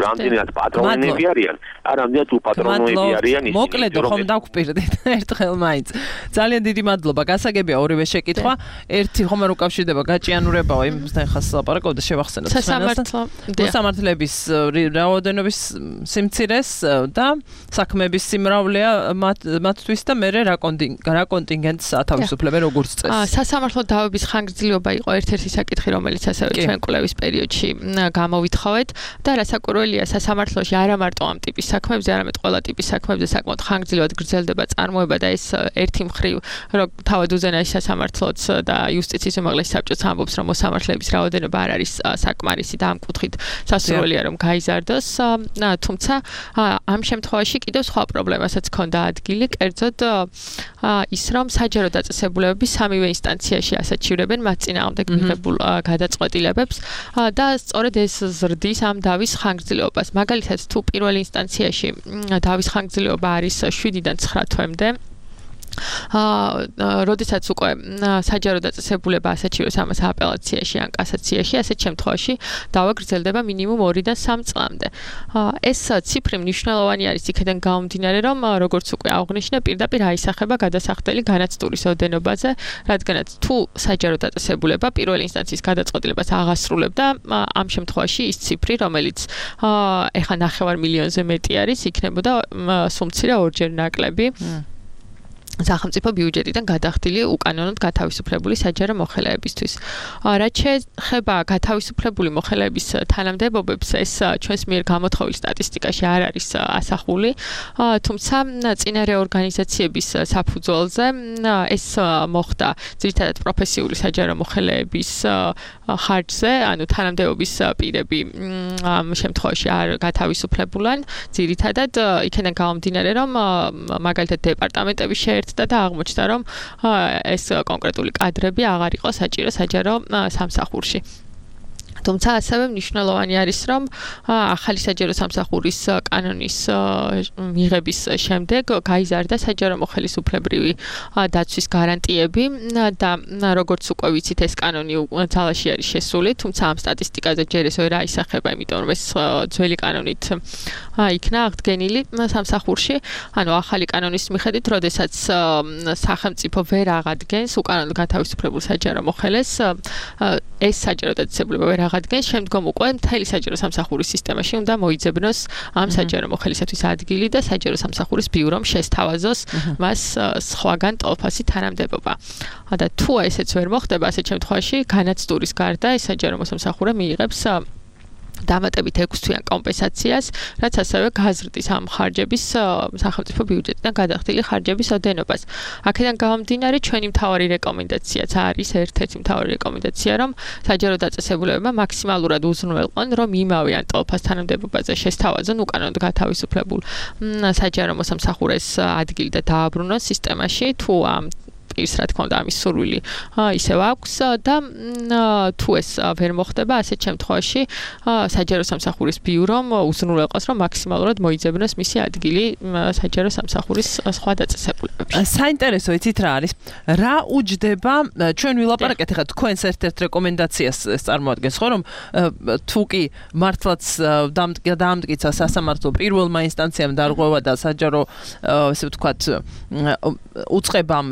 რამდენად პატრონები არიან, ან რამდენად უპატრონოები არიან ისინი. მოკლედ ხომ დავგვპირდით ერთხელ მაინც. ძალიან დიდი მადლობა. გასაგებია ორივე შეკითხვა. ერთი ხომ არ უკავშირდება გაჭიანურებაო, იმასთან ხას ლაპარაკობდა შევახსენოთ. სასამართლო. მოსამართლეების რაოდენობის სიმცირეს და საქმეების სიმრავლეა მათთვის და მე რა კონტინგენტს ათავისუფლებენ როგორც წესი. სასამართლო დავების ხანგრძლივობა იყო ერთ-ერთი საკითხი, რომელიც ასევე ჩვენ კვლევის პერიოდში გამოვითხოვეთ და რასაკვირველია სასამართლოში არა მარტო ამ ტიპის საქმეებზე, არამედ ყველა ტიპის საქმეებზე საკმაოდ ხანგრძლივად გრძელდება წარმოება და ეს ერთი მხრივ რომ თავად უზენაეს სასამართლოც და იუსტიციის უმაღლესი საბჭოც ამბობს, რომ მოსამართლეების რაოდენობა არ არის საკმარისი და ამ კუთხით სასურველია რომ გაიზარდოს, თუმცა ამ შემთხვევაში კიდევ სხვა პრობლემასაც ჰქონდა ადგილი, კერძოდ ის რომ საჯარო დაწესებულებები სამივე ინსტანციაში ასაჩივრებენ მათ წინააღმდეგ მიღებულ გადაწყვეტილებებს და სწორედ ეს ზრდის ამ დავის ხანგრძლივობას. მაგალითად, თუ პირველ ინსტანციაში დავის ხანგრძლივობა არის შვიდიდან ცხრა თვემდე, აა როდესაც უკვე საჯარო დაწესებულება ასაჩივრებს ამას აპელაციაში ან კასაციაში, ასეთ შემთხვევაში დავა გრძელდება მინიმუმ ორიდან სამ წლამდე. ეს ციფრი მნიშვნელოვანი არის იქიდან გამომდინარე, რომ როგორც უკვე აღნიშნე, პირდაპირ აისახება გადასახდელი განაცდურის ოდენობაზე, რადგანაც თუ საჯარო დაწესებულება პირველ ინსტანციის გადაწყვეტილებას აღასრულებდა, ამ შემთხვევაში ის ციფრი, რომელიც ეხა ნახევარ მილიონზე მეტი არის, იქნებოდა სუმცირა ორჯერ ნაკლები. სახელმწიფო ბიუჯეტიდან გადახდილი უკანონოდ გათავისუფლებული საჯარო მოხელეებისთვის. რაც შეეხება გათავისუფლებული მოხელეების თანამდებობებს, ეს ჩვენს მიერ გამოთხოვილ სტატისტიკაში არ არის ასახული, თუმცა წინა რეორგანიზაციების საფუძველზე ეს მოხდა ძირითადად პროფესიული საჯარო მოხელეების ხარჯზე, ანუ თანამდებობის პირები ამ შემთხვევაში არ გათავისუფლებულან, ძირითადად იქიდან გამომდინარე, რომ მაგალითად დეპარტამენტები შეერთდა და აღმოჩნდა, რომ ეს კონკრეტული კადრები აღარ იყო საჭირო საჯარო სამსახურში. თუმცა ასევე მნიშვნელოვანი არის რომ ახალი საჯარო სამსახურის კანონის მიღების შემდეგ გაიზარდა საჯარო მოხელისუფლებრივი დაცვის გარანტიები და როგორც უკვე ვიცით ეს კანონი ძალაში არის შესული, თუმცა ამ სტატისტიკაზე ჯერ ეს ვერ აისახება, იმიტომ რომ ეს ძველი კანონით იქნა აღდგენილი სამსახურში. ანუ ახალი კანონის მიხედვით, როდესაც სახელმწიფო ვერ აღადგენს უკანონოდ გათავისუფლებულ საჯარო მოხელეს, ეს საჯარო დაწესებულება ვერ აღადგენს, შემდგომ უკვე მთელი საჯარო სამსახურის სისტემაში უნდა მოიძებნოს ამ საჯარო მოხელისათვის ადგილი და საჯარო სამსახურის ბიურომ შესთავაზოს მას სხვაგან ტოლფასი თანამდებობა. და თუ ესეც ვერ მოხდება, ასეთ შემთხვევაში განაცდურის გარდა ეს საჯარო მოსამსახურე მიიღებს დამატებით ექვსი თვიან კომპენსაციას, რაც ასევე გაზრდის ამ ხარჯების სახელმწიფო ბიუჯეტიდან გადახდილი ხარჯების ოდენობას. აქედან გამომდინარე, ჩვენი მთავარი რეკომენდაციაც არის ერთ-ერთი მთავარი რეკომენდაცია, რომ საჯარო დაწესებულებებმა მაქსიმალურად უზრუნველყონ, რომ იმავე ან ტოლფას თანამდებობაზე შესთავაზონ უკანონოდ გათავისუფლებულ საჯარო მოსამსახურეს ადგილი და დააბრუნონ სისტემაში, თუ ამ ის რა თქმა უნდა ამის სურვილი ისევ აქვს და თუ ეს ვერ მოხდება, ასეთ შემთხვევაში საჯარო სამსახურის ბიურომ უზრუნველყოს, რომ მაქსიმალურად მოიძებნოს მისი ადგილი საჯარო სამსახურის სხვა დაწესებულებებში. საინტერესო იცით რა არის? რა უჯდება ჩვენ ვილაპარაკეთ ახლა თქვენს ერთ-ერთ რეკომენდაციას წარმოადგენს, ხო რომ თუ კი მართლაც დაამტკიცა სასამართლო პირველმა ინსტანციამ დარღვევა და საჯარო ესე ვთქვათ უწყებამ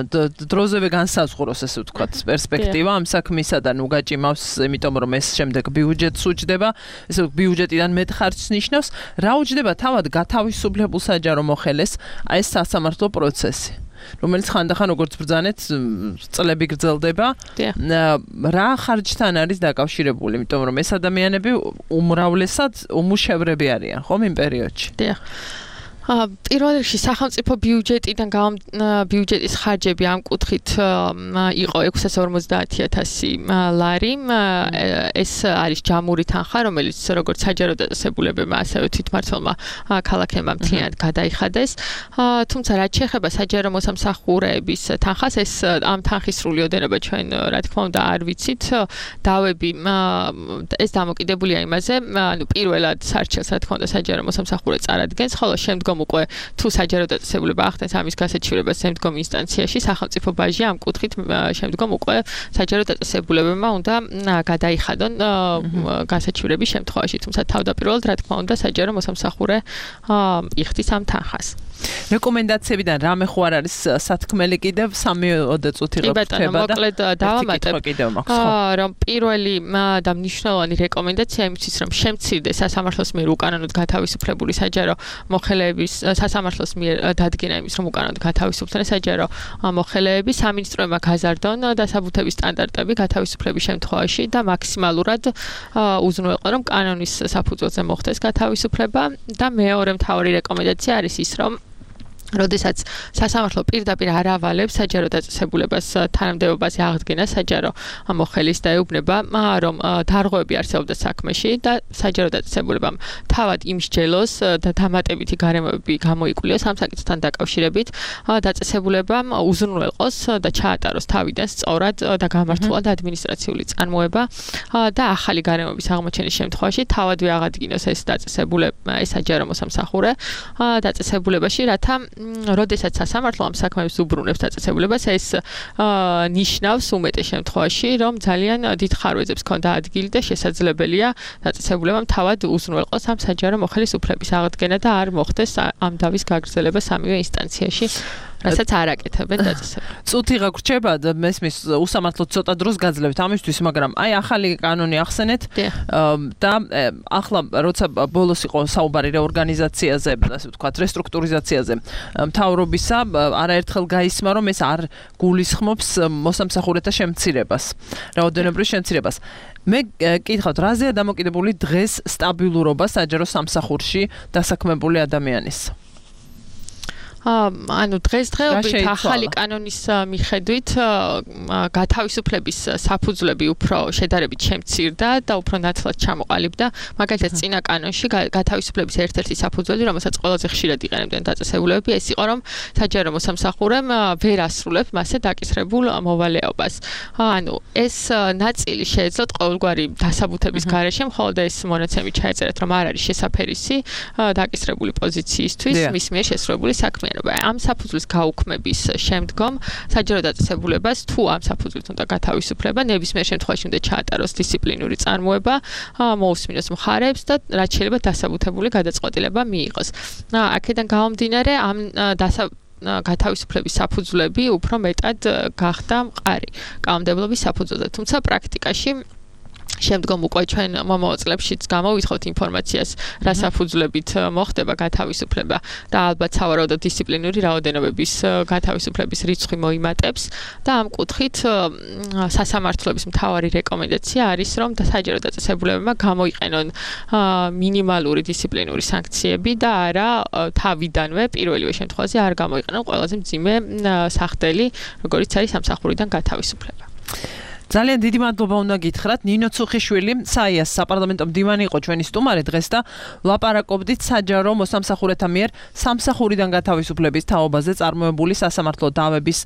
დროზევე განსაზღვროს ესე ვთქვათ პერსპექტივა ამ საქმისა და ნუ გაჭიმავს, იმიტომ რომ ეს შემდეგ ბიუჯეტს უჯდება, ესე ბიუჯეტიდან მეტ ხარჯს ნიშნავს, რა უჯდება თავად გათავისუფლებულ საჯარო მოხელეს ეს სასამართლო პროცესი, რომელიც ხანდახან როგორც ბრძანეთ წლები გრძელდება. რა ხარჯთან არის დაკავშირებული, იმიტომ რომ ეს ადამიანები უმრავლესად უმუშევრები არიან, ხომ იმ პერიოდში? დიახ. პირველ რიგში სახელმწიფო ბიუჯეტიდან ბიუჯეტის ხარჯები ამ კუთხით იყო ექვსას ორმოცდაათი ათასი ლარი. ეს არის ჯამური თანხა, რომელიც როგორც საჯარო დაწესებულებებმა, ასევე თვითმმართველმა ქალაქებმა მთლიანად გადაიხადეს. თუმცა რაც შეეხება საჯარო მოსამსახურეების თანხას, ეს ამ თანხის სრული ოდენობა ჩვენ რა თქმა უნდა არ ვიცით. დავები ეს დამოკიდებულია იმაზე, ანუ პირველად სარჩელს რა თქმა უნდა საჯარო მოსამსახურე წარადგენს, ხოლო შემდგომ უკვე თუ საჯარო დაწესებულება ახდენს ამის გასაჩივრებას შემდგომ ინსტანციაში, სახელმწიფო ბაჟი ამ კუთხით შემდგომ უკვე საჯარო დაწესებულებებმა უნდა გადაიხადონ გასაჩივრების შემთხვევაში, თუმცა თავდაპირველად რა თქმა უნდა საჯარო მოსამსახურე იხდის ამ თანხას. რეკომენდაციებიდან რამე ხო არ არის სათქმელი კიდევ სამიოდე წუთი გაგრდება და მოკლედ დავამატებ რომ პირველი და მნიშვნელოვანი რეკომენდაცია იმისთვის რომ შემცირდეს სასამართლოს მიერ უკანონოდ გათავისუფლებული საჯარო მოხელეების სასამართლოს მიერ დადგენა იმის რომ უკანონოდ გათავისუფლდნენ საჯარო მოხელეები, სამინისტროებმა გაზარდონ დასაბუთების სტანდარტები გათავისუფლების შემთხვევაში და მაქსიმალურად უზრუნველყონ რომ კანონის საფუძველზე მოხდეს გათავისუფლება და მეორე მთავარი რეკომენდაცია არის ის რომ როდესაც სასამართლო პირდაპირ არ ავალებს საჯარო დაწესებულებას თანამდებობაზე აღდგენა საჯარო მოხელის და ეუბნება რომ დარღვევები არსებობდა საქმეში და საჯარო დაწესებულებამ თავად იმსჯელოს და დამატებითი გარემოები გამოიკვლიოს ამ საკითხთან დაკავშირებით, დაწესებულებამ უზრუნველყოს და ჩაატაროს თავიდან სწორად და გამართულად ადმინისტრაციული წარმოება და ახალი გარემოების აღმოჩენის შემთხვევაში თავადვე აღადგინოს ეს დაწესებულება, ეს საჯარო მოსამსახურე დაწესებულებაში, რათა როდესაც სასამართლო ამ საქმეებს უბრუნებს დაწესებულებას, ეს ნიშნავს უმეტეს შემთხვევაში, რომ ძალიან დიდ ხარვეზებს ჰქონდა ადგილი და შესაძლებელია დაწესებულებამ თავად უზრუნველყოს ამ საჯარო მოხელის უფლების აღდგენა და არ მოხდეს ამ დავის გაგრძელება სამივე ინსტანციაში. რასაც არ აკეთებენ დაწესებულებას. წუთი გაგრჩება და მესმის უსამართლოდ ცოტა დროს გაძლევთ ამისთვის, მაგრამ აი ახალი კანონი ახსენეთ და ახლა როცა ბოლოს იყო საუბარი რეორგანიზაციაზე, ასე ვთქვათ, რესტრუქტურიზაციაზე, მთავრობისა არაერთხელ გაისმა, რომ ეს არ გულისხმობს მოსამსახურეთა შემცირებას, რაოდენობრივ შემცირებას. მე კითხავთ, რაზეა დამოკიდებული დღეს სტაბილურობა საჯარო სამსახურში დასაქმებული ადამიანის? ანუ დღესდღეობით ახალი კანონის მიხედვით გათავისუფლების საფუძვლები უფრო შედარებით შემცირდა და უფრო ნათლად ჩამოყალიბდა. მაგალითად, წინა კანონში გათავისუფლების ერთ-ერთი საფუძველი, რომელსაც ყველაზე ხშირად იყენებდნენ დაწესებულებები, ეს იყო, რომ საჯარო მოსამსახურემ ვერ ასრულებს მასზე დაკისრებულ მოვალეობას. ანუ ეს ნაწილი შეეძლოთ ყოველგვარი დასაბუთების გარეშე, მხოლოდ ეს მონაცემი ჩაეწერეთ, რომ არ არის შესაფერისი დაკისრებული პოზიციისთვის მის მიერ შესრულებული საქმიანობა. ამ საფუძვლის გაუქმების შემდგომ საჯარო დაწესებულებას თუ ამ საფუძვლით უნდა გათავისუფლება, ნებისმიერ შემთხვევაში უნდა ჩაატაროს დისციპლინური წარმოება, მოусმინოს მხარებს და რაც შეიძლება დასაბუთებული გადაწყვეტილება მიიღოს. აქედან გამომდინარე, ამ დასა გათავისუფლების საფუძვლები უფრო მეტად გახდა მყარი კანონმდებლობის საფუძველზე. თუმცა პრაქტიკაში შემდგომ უკვე ჩვენ მომავალშიც გამოვითხოვთ ინფორმაციას, რა საფუძვლებით მოხდება გათავისუფლება და ალბათ სავარაუდოდ დისციპლინური რაოდენობების გათავისუფლების რიცხვი მოიმატებს და ამ კუთხით სასამართლოების მთავარი რეკომენდაცია არის, რომ საჯარო დაწესებულებებმა გამოიყენონ მინიმალური დისციპლინური სანქციები და არა თავიდანვე პირველივე შემთხვევაში არ გამოიყენონ ყველაზე მძიმე სახდელი, როგორიც არის სამსახურიდან გათავისუფლება. ძალიან დიდი მადლობა უნდა გითხრათ. ნინო ცუხიშვილი, საიას საპარლამენტო მდივანი იყო ჩვენი სტუმარი დღეს და ვლაპარაკობდით საჯარო მოსამსახურეთა მიერ სამსახურიდან გათავისუფლების თაობაზე წარმოებული სასამართლო დავების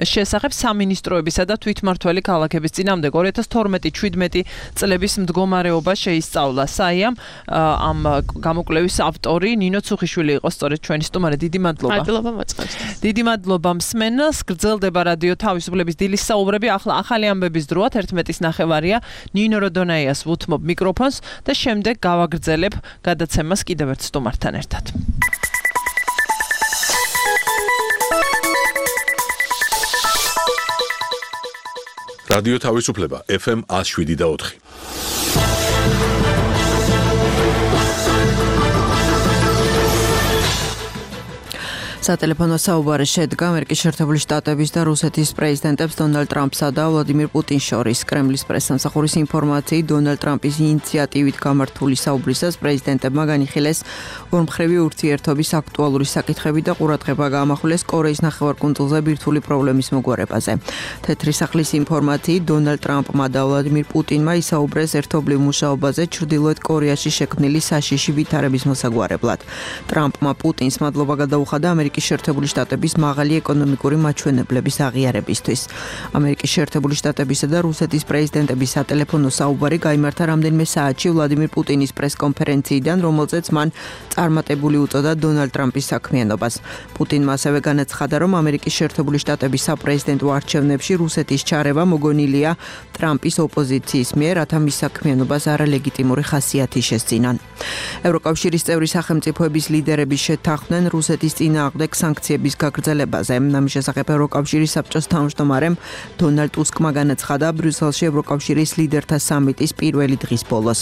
შესახებ სამინისტროებისა და თვითმმართველი ქალაქების წინააღმდეგ ორი ათას თორმეტი შვიდმეტი წლების მდგომარეობა შეისწავლა. საიამ ამ გამოკვლევის ავტორი ნინო ცუხიშვილი იყო სწორედ ჩვენი სტუმარი. დიდი მადლობა. მადლობა მოწმობს. დიდი მადლობა მსმენელს. გრძელდება რადიო თავისუფლების დილის საუბრები. ახლა ახალი ამბების დროა ერთმეტის ნახევარია. ნინო როდონაიას ვუთმობ მიკროფონს და შემდეგ გავაგრძელებ გადაცემას კიდევ ერთ სტუმართან ერთად. რადიო თავისუფლება ეფ ემ ათს შვიდი და ოთხი. სატელეფონო საუბარი შედგა ამერიკის შეერთებული შტატების და რუსეთის პრეზიდენტებს დონალდ ტრამპსა და ვლადიმირ პუტინს შორის. კრემლის პრესსამსახურის ინფორმაციით, დონალდ ტრამპის ინიციატივით გამართული საუბრისას პრეზიდენტებმა განიხილეს ორმხრივი ურთიერთობის აქტუალური საკითხები და ყურადღება გაამახვილეს კორეის ნახევარკუნძულზე ბირთვული პრობლემის მოგვარებაზე. თეთრი სახლის ინფორმაციით, დონალდ ტრამპმა და ვლადიმირ პუტინმა ისაუბრეს ერთობლივ მუშაობაზე ჩრდილოეთ კორეაში შექმნილი საშიში ვითარების მოსაგვარებლად. ტრამპმა პუტინს მადლობა გადაუხადა ამერიკის შეერთებული შტატების მაღალი ეკონომიკური მაჩვენებლების აღიარებისთვის. ამერიკის შეერთებული შტატებისა და რუსეთის პრეზიდენტების სატელეფონო საუბარი გაიმართა რამდენიმე საათში ვლადიმირ პუტინის პრესკონფერენციიდან, რომელზეც მან წარმატებული უწოდა დონალდ ტრამპის საქმიანობას. პუტინმა ასევე განაცხადა, რომ ამერიკის შეერთებული შტატების საპრეზიდენტო არჩევნებში რუსეთის ჩარევა მოგონილია ტრამპის ოპოზიციის მიერ, რათა მის საქმიანობას არალეგიტიმური ხასიათი შესძინან. ევროკავშირის წევრი სახელმწიფოების ლიდერები შეთანხმდნენ რუსეთის წინააღმდეგ სანქციების გაგრძელებაზე. ამის შესახებ ევროკავშირის საბჭოს თავმჯდომარემ დონალდ ტუსკმა განაცხადა ბრიუსელში ევროკავშირის ლიდერთა სამიტის პირველი დღის ბოლოს.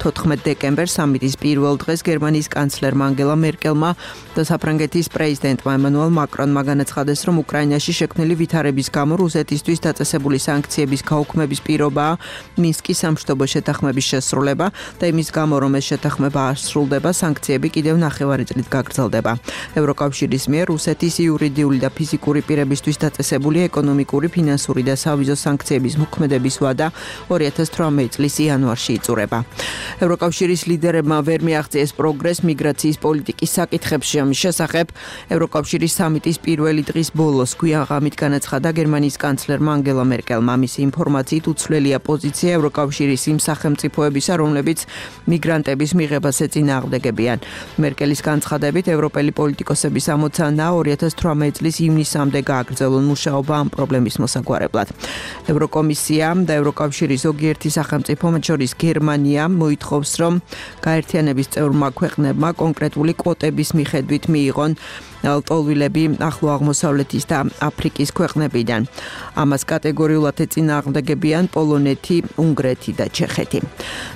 თოთხმეტ დეკემბერს სამიტის პირველ დღეს გერმანიის კანცლერმა ანგელა მერკელმა და საფრანგეთის პრეზიდენტმა ემანუელ მაკრონმა განაცხადეს, რომ უკრაინაში შექმნილი ვითარების გამო რუსეთისთვის დაწესებული სანქციების გაუქმების პირობაა მინსკის სამშვიდობო შეთანხმების შესრულება და იმის გამო, რომ ეს შეთანხმება არ სრულდება, სანქციები კიდევ ნახევარი წლით გაგრძელდება. ევროკავშირის მიერ რუსეთის იურიდიული და ფიზიკური პირებისთვის დაწესებული ეკონომიკური, ფინანსური და სავიზო სანქციების მოქმედების ვადა ორი ათას თვრამეტი წლის იანვარში იწურება. ევროკავშირის ლიდერებმა ვერ მიაღწიეს პროგრესს მიგრაციის პოლიტიკის საკითხებში. ამის შესახებ ევროკავშირის სამიტის პირველი დღის ბოლოს გვიან ღამით განაცხადა გერმანიის კანცლერმა ანგელა მერკელმა. მისი ინფორმაციით უცვლელია პოზიცია ევროკავშირის იმ სახელმწიფოებისა, რომლებიც მიგრანტების მიღებას ეწინააღმდეგებიან. მერკელის განცხადებით, ევროპელი პოლიტიკოსების ამოცანაა ორი ათას თვრამეტი წლის ივნისამდე გააგრძელონ მუშაობა ამ პრობლემის მოსაგვარებლად. ევროკომისია და ევროკავშირის ზოგიერთი სახელმწიფო, მათ შორის გერმანია, მოითხოვს, რომ გაერთიანების წევრმა ქვეყნებმა კონკრეტული კვოტების მიხედვით მიიღონ ლტოლვილები ახლო აღმოსავლეთის და აფრიკის ქვეყნებიდან. ამას კატეგორიულად ეწინააღმდეგებიან პოლონეთი, უნგრეთი და ჩეხეთი.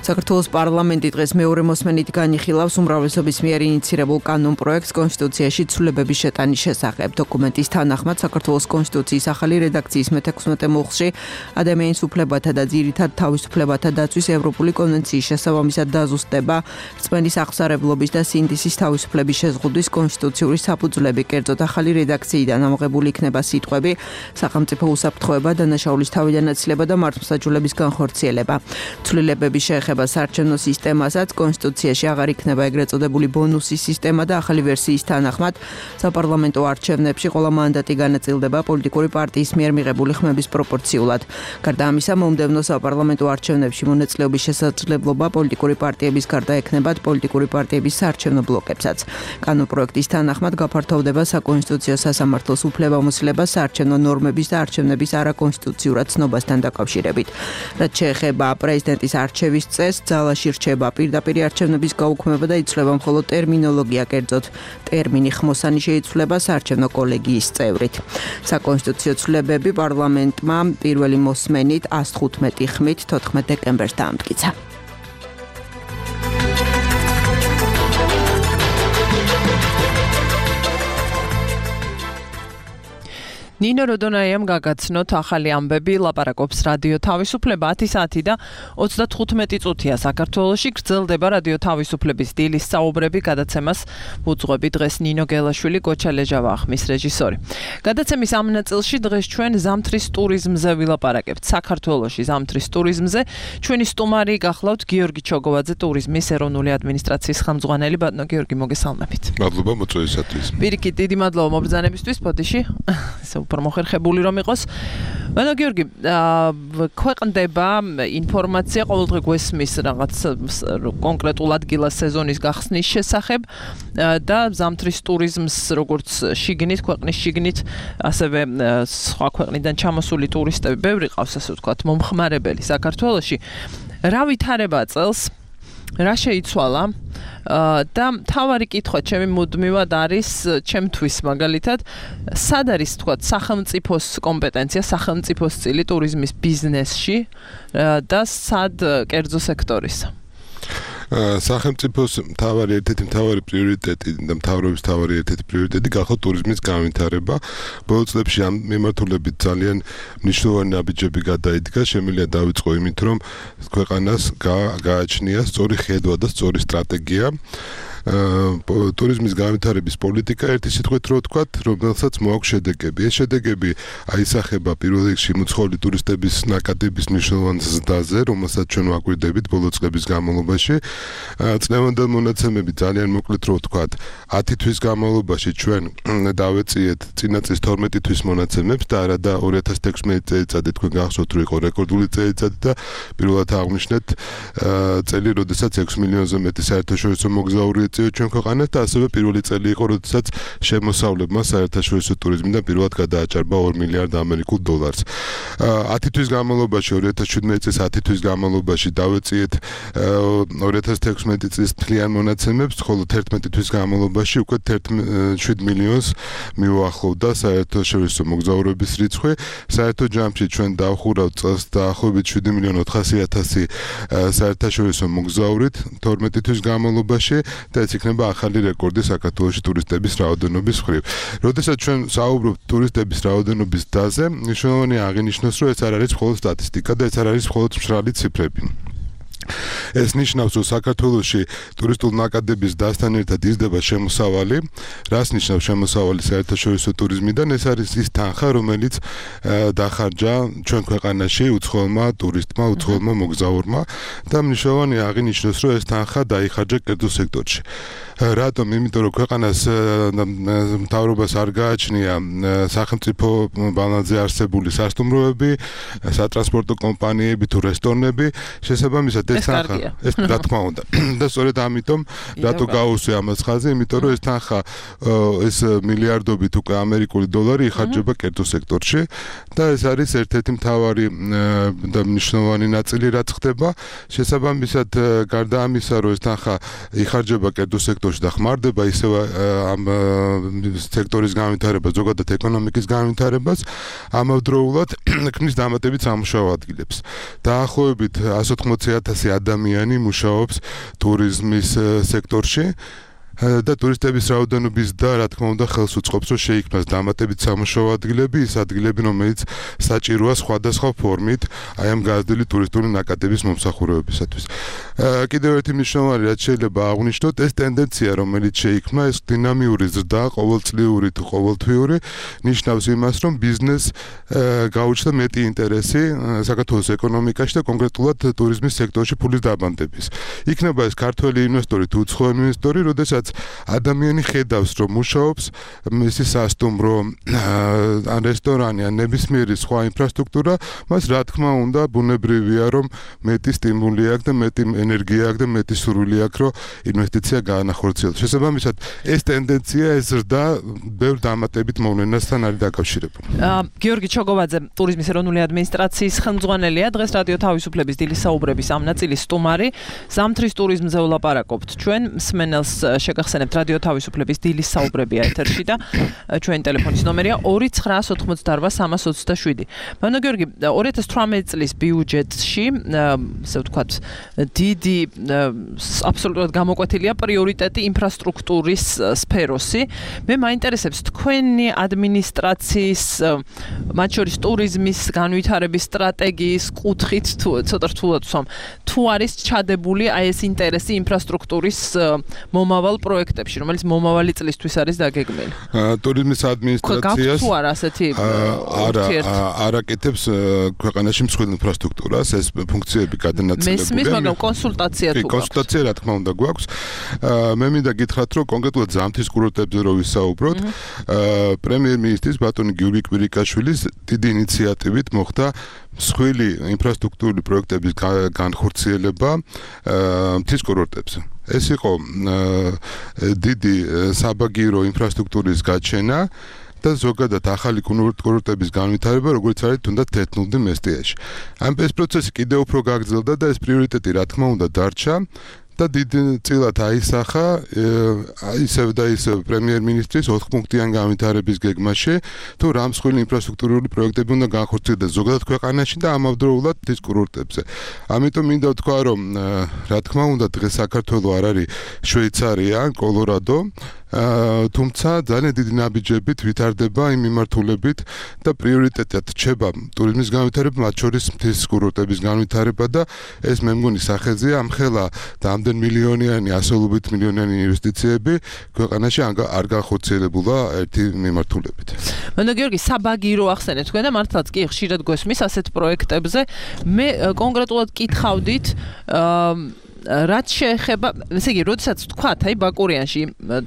საქართველოს პარლამენტი დღეს მეორე მოსმენით განიხილავს უმრავლესობის მიერ ინიცირებულ კანონპროექტს კონსტიტუციაში ცვლილებები ცვლილებების შეტანის შესახებ. დოკუმენტის თანახმად საქართველოს კონსტიტუციის ახალი რედაქციის მეთექვსმეტე მუხლში ადამიანის უფლებათა და ძირითად თავისუფლებათა დაცვის ევროპული კონვენციის შესაბამისად დაზუსტება რწმენის აღსარებლობის და სინდისის თავისუფლების შეზღუდვის კონსტიტუციური საფუძვლები. კერძოდ ახალი რედაქციიდან ამოღებული იქნება სიტყვები სახელმწიფო უსაფრთხოება, დანაშაულის თავიდანაცილება და მართლმსაჯულების განხორციელება. ცვლილებების შეეხება საარჩევნო სისტემასაც კონსტიტუციაში აღარ იქნება ეგრეთ წოდებული ბონუსის სისტემა და ახალი ვერსიის თანახმად საპარლამენტო არჩევნებში ყველა მანდატი განაწილდება პოლიტიკური პარტიის მიერ მიღებული ხმების პროპორციულად. გარდა ამისა, მომდევნო საპარლამენტო არჩევნებში მონაწილეობის შესაძლებლობა პოლიტიკური პარტიების გარდა ექნებათ პოლიტიკური პარტიების საარჩევნო ბლოკებსაც. კანონპროექტის თანახმად გაფართოვდება საკონსტიტუციო სასამართლოს უფლებამოსილება საარჩევნო ნორმების და არჩევნების არაკონსტიტუციურად ცნობასთან დაკავშირებით. რაც შეეხება პრეზიდენტის არჩევის წესს, ძალაში რჩება პირდაპირ არჩევნების გაუქმება და იცვლება მხოლოდ ტერმინოლოგია, კერძოდ ტერმინი ხმოსანი შეიცვლება საარჩევნო კოლეგიის წევრით. საკონსტიტუციო ცვლილებები პარლამენტმა პირველი მოსმენით ას თხუთმეტი ხმით თოთხმეტ დეკემბერს დაამტკიცა. ნინო როდონაიამ გაგაცნოთ ახალი ამბები, ლაპარაკობს რადიო თავისუფლება ათი საათი და ოცდათხუთმეტი წუთია საქართველოში გრძელდება რადიო თავისუფლების დილის საუბრები გადაცემას უძღვები დღეს ნინო გელაშვილი, გოჩა ლეჟავა ახმის რეჟისორი. გადაცემის ამ ნაწილში დღეს ჩვენ ზამთრის ტურიზმზე ვილაპარაკებთ. საქართველოში ზამთრის ტურიზმზე ჩვენი სტუმარი გახლავთ გიორგი ჩოგოვაძე, ტურიზმის ეროვნული ადმინისტრაციის ხელმძღვანელი. ბატონო გიორგი, მოგესალმებით. მადლობა მოწვევისათვის. პირიქით, დიდი მადლობა მობრძანებისთვის, ბოდიში. უფრო მოხერხებული რომ იყოს. ბატონო გიორგი, ქვეყნდება ინფორმაცია ყოველდღე გვესმის რაღაც კონკრეტულ ადგილას სეზონის გახსნის შესახებ და ზამთრის ტურიზმს როგორც შიგნით, ქვეყნის შიგნით, ასევე სხვა ქვეყნიდან ჩამოსული ტურისტები ბევრი ყავს, ასე ვთქვათ, მომხმარებელი საქართველოში. რა ვითარება წელს? რა შეიცვალა? და თავარი კითხვა ჩემი მუდმივად არის ჩემთვის მაგალითად სად არის თქვა სახელმწიფოს კომპეტენცია, სახელმწიფოს წილი ტურიზმის ბიზნესში და სად კერძო სექტორისა? სახელმწიფოს მთავარი ერთ-ერთი მთავარი პრიორიტეტი და მთავრობის მთავარი ერთ-ერთი პრიორიტეტი გახდა ტურიზმის განვითარება. ბოლო წლებში ამ მიმართულებით ძალიან მნიშვნელოვანი ნაბიჯები გადაიდგა. შემიძლია დავიწყო იმით, რომ ქვეყანას გააჩნია სწორი ხედვა და სწორი სტრატეგია. ტურიზმის განვითარების პოლიტიკა ერთი სიტყვით რო ვთქვათ, რომელსაც მოაქვს შედეგები. ეს შედეგები აისახება პირველ რიგში მუცხოვრი ტურისტების ნაკადების მნიშვნელოვან ზრდაზე, რომელსაც ჩვენ ვაკვირდებით ბოლო წლების განმავლობაში. წლევანდელ მონაცემები ძალიან მოკლედ რო ვთქვათ, ათი თვის განმავლობაში ჩვენ დავეწიეთ წინა წლის თორმეტი თვის მონაცემებს და არა და ორი ათას თექვსმეტი წელიწადი თქვენ გახსოვთ, რომ იყო რეკორდული წელიწადი და პირველად აღვნიშნეთ წელი, როდესაც ექვსი მილიონზე მეტი საერთაშორისო მოგზაური ჩვენ ქვეყანას და ასევე პირველი წელი იყო, როდესაც შემოსავლებმა საერთაშორისო ტურიზმიდან პირველად გადააჭარბა ორი მილიარდ ამერიკულ დოლარს. ათი თვის განმავლობაში, ორი ათას შვიდმეტი წლის ათი თვის განმავლობაში დავეწიეთ ორი ათას თექვსმეტი წლის მთლიან მონაცემებს, ხოლო თერთმეტი თვის განმავლობაში უკვე შვიდ მილიონს მიუახლოვდა საერთაშორისო მოგზაურების რიცხვი. საერთო ჯამში ჩვენ დავხურავთ წელს დაახლოებით შვიდი მილიონი ოთხასი ათასი საერთაშორისო მოგზაურით თორმეტი თვის განმავლობაში და ეს იქნება ახალი რეკორდი საქართველოში ტურისტების რაოდენობის მხრივ. როდესაც ჩვენ საუბრობთ ტურისტების რაოდენობის დაზე, მნიშვნელოვანია აღინიშნოს, რომ ეს არ არის მხოლოდ სტატისტიკა და ეს არ არის მხოლოდ მშრალი ციფრები. ეს ნიშნავს, რომ საქართველოში ტურისტულ ნაკადების დასთან ერთად იზრდება შემოსავალი. რას ნიშნავს შემოსავალი საერთაშორისო ტურიზმიდან? ეს არის ის თანხა, რომელიც დახარჯა ჩვენ ქვეყანაში უცხოელმა ტურისტმა, უცხოელმა მოგზაურმა და მნიშვნელოვანია აღინიშნოს, რომ ეს თანხა დაიხარჯა კერძო სექტორში. რატომ? იმიტომ რომ ქვეყანას მთავრობას არ გააჩნია სახელმწიფო ბალანსზე არსებული სასტუმროები, სატრანსპორტო კომპანიები თუ რესტორნები, შესაბამისად ეს თანხა ეს რა თქმა უნდა და სწორედ ამიტომ რატო გაუსვია ამას ხაზი, იმიტომ რომ ეს თანხა ეს მილიარდობით უკვე ამერიკული დოლარი იხარჯება კერძო სექტორში და ეს არის ერთ-ერთი მთავარი და მნიშვნელოვანი ნაწილი რაც ხდება. შესაბამისად გარდა ამისა, რომ ეს თანხა იხარჯება კერძო სექტორში და ხმარდება ისევ ამ სექტორის განვითარებას, ზოგადად ეკონომიკის განვითარებას, ამავდროულად ქმნის დამატებით სამუშაო ადგილებს. დაახლოებით εκατი ოცდაათი ათასი ადამიანი მუშაობს ტურიზმის სექტორში და ტურისტების რაოდენობის და რა თქმა უნდა ხელს უწყობს რომ შეიქმნას დამატებით სამუშაო ადგილები, ის ადგილები რომელიც საჭიროა სხვადასხვა ფორმით აი ამ გაზრდილი ტურისტული ნაკადების მომსახურებებისათვის. კიდევ ერთი მნიშვნელოვანი რაც შეიძლება აღვნიშნოთ, ეს ტენდენცია რომელიც შეიქმნა, ეს დინამიური ზრდა, ყოველწლიური თუ ყოველთვიური, ნიშნავს იმას, რომ ბიზნეს გაუჩნდა მეტი ინტერესი საქართველოს ეკონომიკაში და კონკრეტულად ტურიზმის სექტორში ფულის დაბანდების. იქნება ეს ქართველი ინვესტორი თუ უცხო ინვესტორი, როდესაც ადამიანი ხედავს რომ მუშაობს მისი სასტუმრო ან რესტორანი ან ნებისმიერი სხვა ინფრასტრუქტურა, მას რა თქმა უნდა ბუნებრივია რომ მეტი სტიმული აქვს და მეტი ენერგია აქვს და მეტი სურვილი აქვს რომ ინვესტიცია გაანახორციელოს. შესაბამისად ეს ტენდენცია ეს ზრდა ბევრ დამატებით მოვლენასთან არის დაკავშირებული. გიორგი ჩოგოვაძე ტურიზმის ეროვნული ადმინისტრაციის ხელმძღვანელია, დღეს რადიო თავისუფლების დილის საუბრების ამ ნაწილის სტუმარი. ზამთრის ტურიზმზე ვლაპარაკობთ ჩვენ, მსმენელს შეგახსენებთ რადიო თავისუფლების დილის საუბრები ეთერში და ჩვენი ტელეფონის ნომერია ორი ცხრა ოცდაოთხ სამას ოცდაშვიდი. მანო გიორგი, ორი ათას თვრამეტი წლის ბიუჯეტში, ასე ვთქვათ, დიდი აბსოლუტურად გამოკვეთილია პრიორიტეტი ინფრასტრუქტურის სფეროსი. მე მაინტერესებს თქვენი ადმინისტრაციის, მათ შორის ტურიზმის განვითარების სტრატეგიის კუთხით თუ ცოტა რთულად ვსვამ, თუ არის ჩადებული აი ეს ინტერესი ინფრასტრუქტურის მომავალ პროექტებში, რომელიც მომავალი წლისთვის არის დაგეგმილი. ტურიზმის ადმინისტრაციას თუ არა ასეთი არა არაკეთებს ქვეყანაში მსხვილ ინფრასტრუქტურას, ეს ფუნქციები გადანაწილებულია. მესმის, მაგრამ კონსულტაცია თუ გაქვს. კონსულტაცია რა თქმა უნდა გვაქვს. მე მინდა გითხრათ, რომ კონკრეტულად ზამთრის კურორტებზე რო ვისაუბროთ, პრემიერ-მინისტრის ბატონი გიორგი კვირიკაშვილის დიდი ინიციატივით მოხდა მსხვილი ინფრასტრუქტურული პროექტების განხორციელება მთის კურორტებზე. ეს იყო დიდი საბაგირო ინფრასტრუქტურის გაჩენა და ზოგადად ახალი კურორტების განვითარება, როგორც არის თუნდაც თეთრნუდი მესტიაში. ამ ეს პროცესი კიდევ უფრო გაგრძელდა და ეს პრიორიტეტი რა თქმა უნდა დარჩა. და დიდი წილად აისახა ისევ და ისევ პრემიერ-მინისტრის ოთხპუნქტიან განვითარების გეგმაში, თუ რა მსხვილი ინფრასტრუქტურული პროექტები უნდა განხორციელდეს ზოგადად ქვეყანაში და ამავდროულად მთის კურორტებზე. ამიტომ მინდა ვთქვა, რომ რა თქმა უნდა დღეს საქართველო არ არის შვეიცარია, კოლორადო, თუმცა ძალიან დიდი ნაბიჯებით ვითარდება იმ მიმართულებით და პრიორიტეტად რჩება ტურიზმის განვითარება, მათ შორის მთის კურორტების განვითარება და ეს მე მგონი სახეზეა ამხელა და ამდენ მილიონიანი, ასეულობით მილიონიანი ინვესტიციები ქვეყანაში არ განხორციელებულა ერთი მიმართულებით. მანო გიორგი, საბაგირო ახსენეთ თქვენ და მართლაც კი ხშირად გვესმის ასეთ პროექტებზე. მე კონკრეტულად კითხავდით რაც შეეხება, ესე იგი, როდესაც თქვათ, აი ბაკურიანში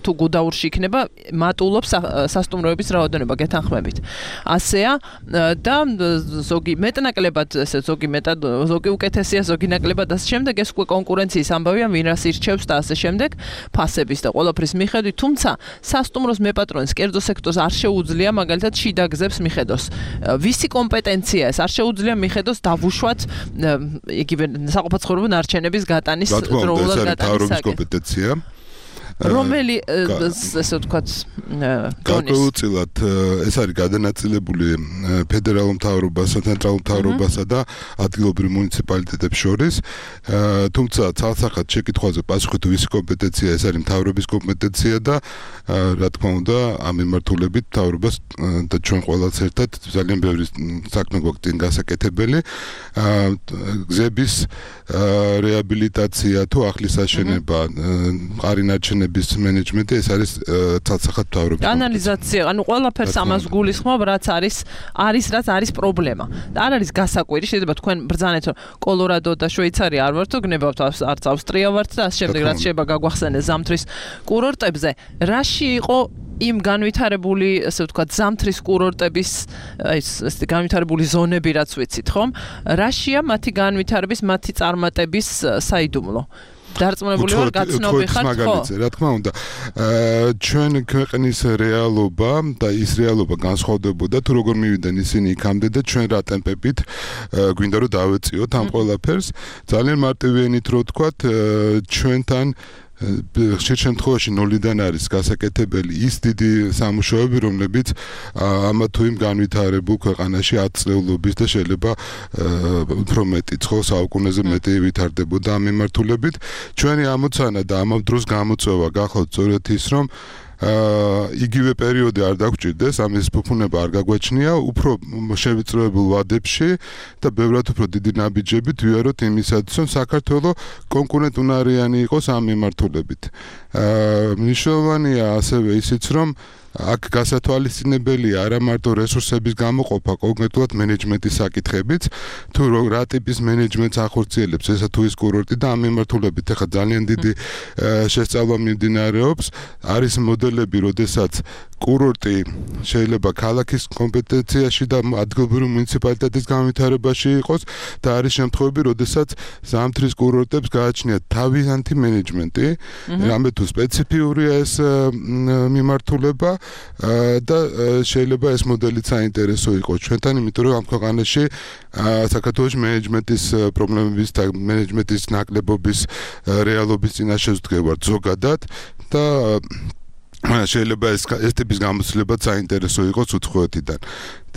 თუ გუდაურში იქნება, მატულობს სასტუმროების რაოდენობა გეთანხმებით. ასეა და ზოგი მეტნაკლებად, ესე ზოგი მეტად, ზოგი უკეთესია, ზოგი ნაკლებად ასე შემდეგ, ეს უკვე კონკურენციის ამბავია, ვინ რას ირჩევს და ასე შემდეგ, ფასების და ყველაფრის მიხედვით, თუმცა სასტუმროს მეპატრონის კერძო სექტორს არ შეუძლია მაგალითად შიდა გზებს მიხედოს. ვისი კომპეტენცია ეს? არ შეუძლია მიხედოს დავუშვათ იგივე საყოფაცხოვრებო ნარჩენების გატანის დროულად გატანის კომპეტენცია. რომელი ესე ვთქვათ გარკვეულწილად ეს არის გადანაწილებული ფედერალურ მთავრობასა, ცენტრალურ მთავრობასა და ადგილობრივ მუნიციპალიტეტებს შორის. თუმცა ცალსახად შეკითხვაზე პასუხი თუ ვისი კომპეტენცია, ეს არის მთავრობის კომპეტენცია და რა თქმა უნდა ამ მიმართულებით მთავრობას და ჩვენ ყველაც ერთად ძალიან ბევრი საქმე გვაქვს წინ გასაკეთებელი. გზების რეაბილიტაცია თუ ახლის აშენება, მყარი ნარჩენების მენეჯმენტი, ეს არის ცალსახად მთავრობის ანალიზაცია, ანუ ყველაფერს ამას გულისხმობ, რაც არის არის რაც არის პრობლემა. და არ არის გასაკვირი, შეიძლება თქვენ ბრძანეთ, რომ კოლორადო და შვეიცარია არ ვართ, გნებავთ არც ავსტრია ვართ და ასე შემდეგ, რაც შეიძლება გაგვახსენეს ზამთრის კურორტებზე. რაში იყო იმ განვითარებული, ასე ვთქვათ, ზამთრის კურორტების ეს ეს განვითარებული ზონები, რაც ვიცით, ხომ? რაშია მათი განვითარების, მათი წარმატების საიდუმლო? დარწმუნებული ვარ, გაცნობი ხართ, ხო? რა თქმა უნდა. ჩვენ ქვეყნის რეალობა და ის რეალობა განსხვავდებოდა, თუ როგორ მივიდნენ ისინი იქამდე და ჩვენ რა ტემპებით გვინდა რომ დავეწიოთ ამ ყველაფერს. ძალიან მარტივი ენით რო ვთქვათ, ჩვენთან ხშირ შემთხვევაში ნოლიდან არის გასაკეთებელი ის დიდი სამუშაოები, რომლებიც ამა თუ იმ განვითარებულ ქვეყანაში ათ წლეულობის და შეიძლება უფრო მეტი ცხო საუკუნეზე მეტი ვითარდებოდა ამ მიმართულებით. ჩვენი ამოცანა და ამ დროს გამოწვევა გახლავთ სწორედ ის, რომ აა იგივე პერიოდი არ დაგჭირდეს, ამის ფუფუნება არ გაგვაჩნია, უფრო შევიწროებულ ვადებში და ბევრად უფრო დიდი ნაბიჯებით ვიაროთ იმისათვის, რომ საქართველოს კონკურენტუნარიანი იყოს ამ მიმართულებით. აა მნიშვნელოვანია ასევე ისიც, რომ აქ გასათვალისწინებელია არა მარტო რესურსების გამოყოფა, კონკრეტულად მენეჯმენტის საკითხებიც, თუ რა ტიპის მენეჯმენტს ახორციელებს ესა თუ ის კურორტი და ამ მიმართულებით ახლა ძალიან დიდი შესწავლა მიმდინარეობს. არის მოდელები, როდესაც კურორტი შეიძლება ქალაქის კომპეტენციაში და ადგილობრივი მუნიციპალიტეტის განვითარებაში იყოს და არის შემთხვევები, როდესაც ზამთრის კურორტებს გააჩნიათ თავიანთი მენეჯმენტი, რამე თუ სპეციფიურია ეს მიმართულება და შეიძლება ეს მოდელი საინტერესო იყოს ჩვენთან, იმიტომ რომ ამ ქვეყანაში საქართველოს მენეჯმენტის პრობლემების და მენეჯმენტის ნაკლებობის რეალობის წინაშე ვდგევართ ზოგადად და შეიძლება ეს ეს ტიპის გამოცდილებაც საინტერესო იყოს უცხოეთიდან.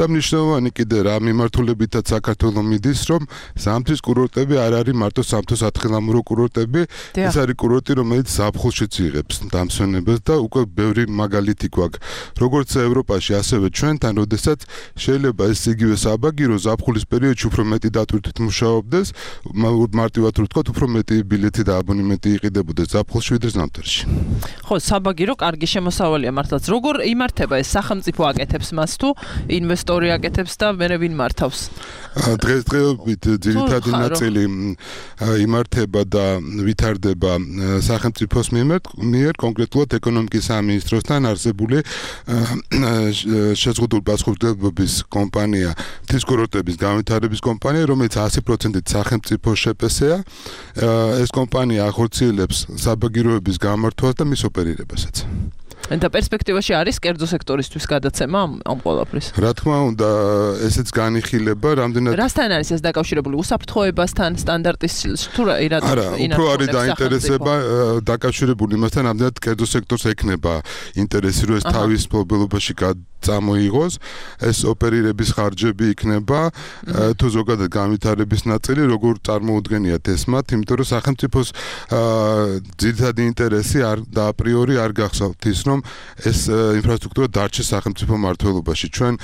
და მნიშვნელოვანი კიდე რა მიმართულებითაც საქართველოს მიდის, რომ ზამთრის კურორტები არ არის მარტო სამთო-სათხილამურო კურორტები, ეს არის კურორტი, რომელიც ზაფხულშიც იღებს დამსვენებელს და უკვე ბევრი მაგალითი გვაქვს. როგორც ევროპაში, ასევე ჩვენთან, როდესაც შეიძლება ეს იგივე საბაგირო ზაფხულის პერიოდში უფრო მეტი დატვირთვით მუშაობდეს, მარტივად რო ვთქვათ, უფრო მეტი ბილეთი და აბონემენტი იყიდებოდეს ზაფხულში ვიდრე ზამთარში. ხო, საბაგირო კარგი შემოსავალია მართლაც. როგორ იმართება ეს სახელმწიფო აკეთებს მას თუ ინვესტორი აკეთებს და მერე ვინ მართავს? დღესდღეობით ძირითადი ნაწილი იმართება და ვითარდება სახელმწიფოს მიერ, კონკრეტულად ეკონომიკის სამინისტროსთან არსებული შეზღუდული პასუხისმგებლობის კომპანია, მთის კურორტების განვითარების კომპანია, რომელიც ასი პროცენტით სახელმწიფო შეპესეა. ეს კომპანია ახორციელებს საბაგიროების გამართვას და მის ოპერირებასაც. და პერსპექტივაში არის კერძო სექტორისთვის გადაცემა ამ ყველაფრის. რა თქმა უნდა, ესეც განიხილება, რამდენად რასთან არის ეს დაკავშირებული? უსაფრთხოებასთან, სტანდარტის თუ რა ირად არა, უფრო არის დაინტერესება დაკავშირებული იმასთან, რამდენად კერძო სექტორს ექნება ინტერესი, რომ ეს თავის მფლობელობაში წამოიღოს, ეს ოპერირების ხარჯები იქნება, თუ ზოგადად განვითარების ნაწილი, როგორ წარმოუდგენიათ ეს მათ, იმიტომ რომ სახელმწიფოს ძირითადი ინტერესი არ და აპრიორი არ გახსოვთ ის, რომ ეს ინფრასტრუქტურა დარჩეს სახელმწიფო მმართველობაში. ჩვენ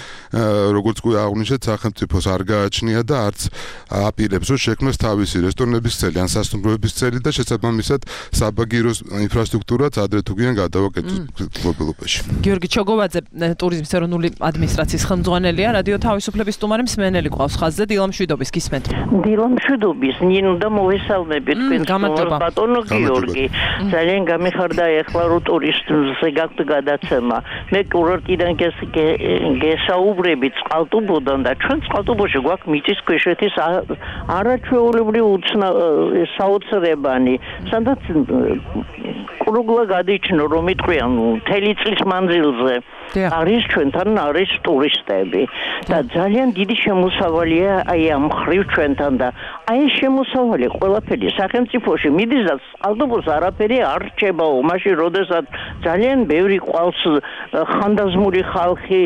როგორც კი აღვნიშნეთ, სახელმწიფოს არ გააჩნია და არც აპირებს, რომ შექმნას თავისი რესტორნების წელი, ან სასტუმროების წელი და შესაბამისად საბაგიროს ინფრასტრუქტურაც ადრე თუ გიან გადავაკეთოს მფლობელობაში. გიორგი ჩოგოვაძე, ტურიზმის ეროვნული ადმინისტრაციის ხელმძღვანელია, რადიო თავისუფლების სტუმარი მსმენელი ყავს ხაზზე, დილამშვიდობის გისმენთ. დილამშვიდობის, ნინო და მოვესალმები თქვენ ბატონო გიორგი. ძალიან გამიხარდა ეხლა რო ტურისტზე გაქვთ გადაცემა. მე კურორტიდან გესაუბრებით წყალტუბოდან და ჩვენ წყალტუბოში გვაქვს მიწისქვეშეთის არაჩვეულებრივი საოცრებანი, სადაც კრუგლა გადიჩნო რომ იტყვიან მთელი წლის მანძილზე არის ჩვენთან არის ტურისტები და ძალიან დიდი შემოსავალია აი ამ ხრივ ჩვენთან და აი ეს შემოსავალი ყველაფერი სახელმწიფოში მიდის და წყალტუბოს არაფერი არ რჩებაო, მაშინ როდესაც ძალიან ბევრი ყავს ხანდაზმული ხალხი,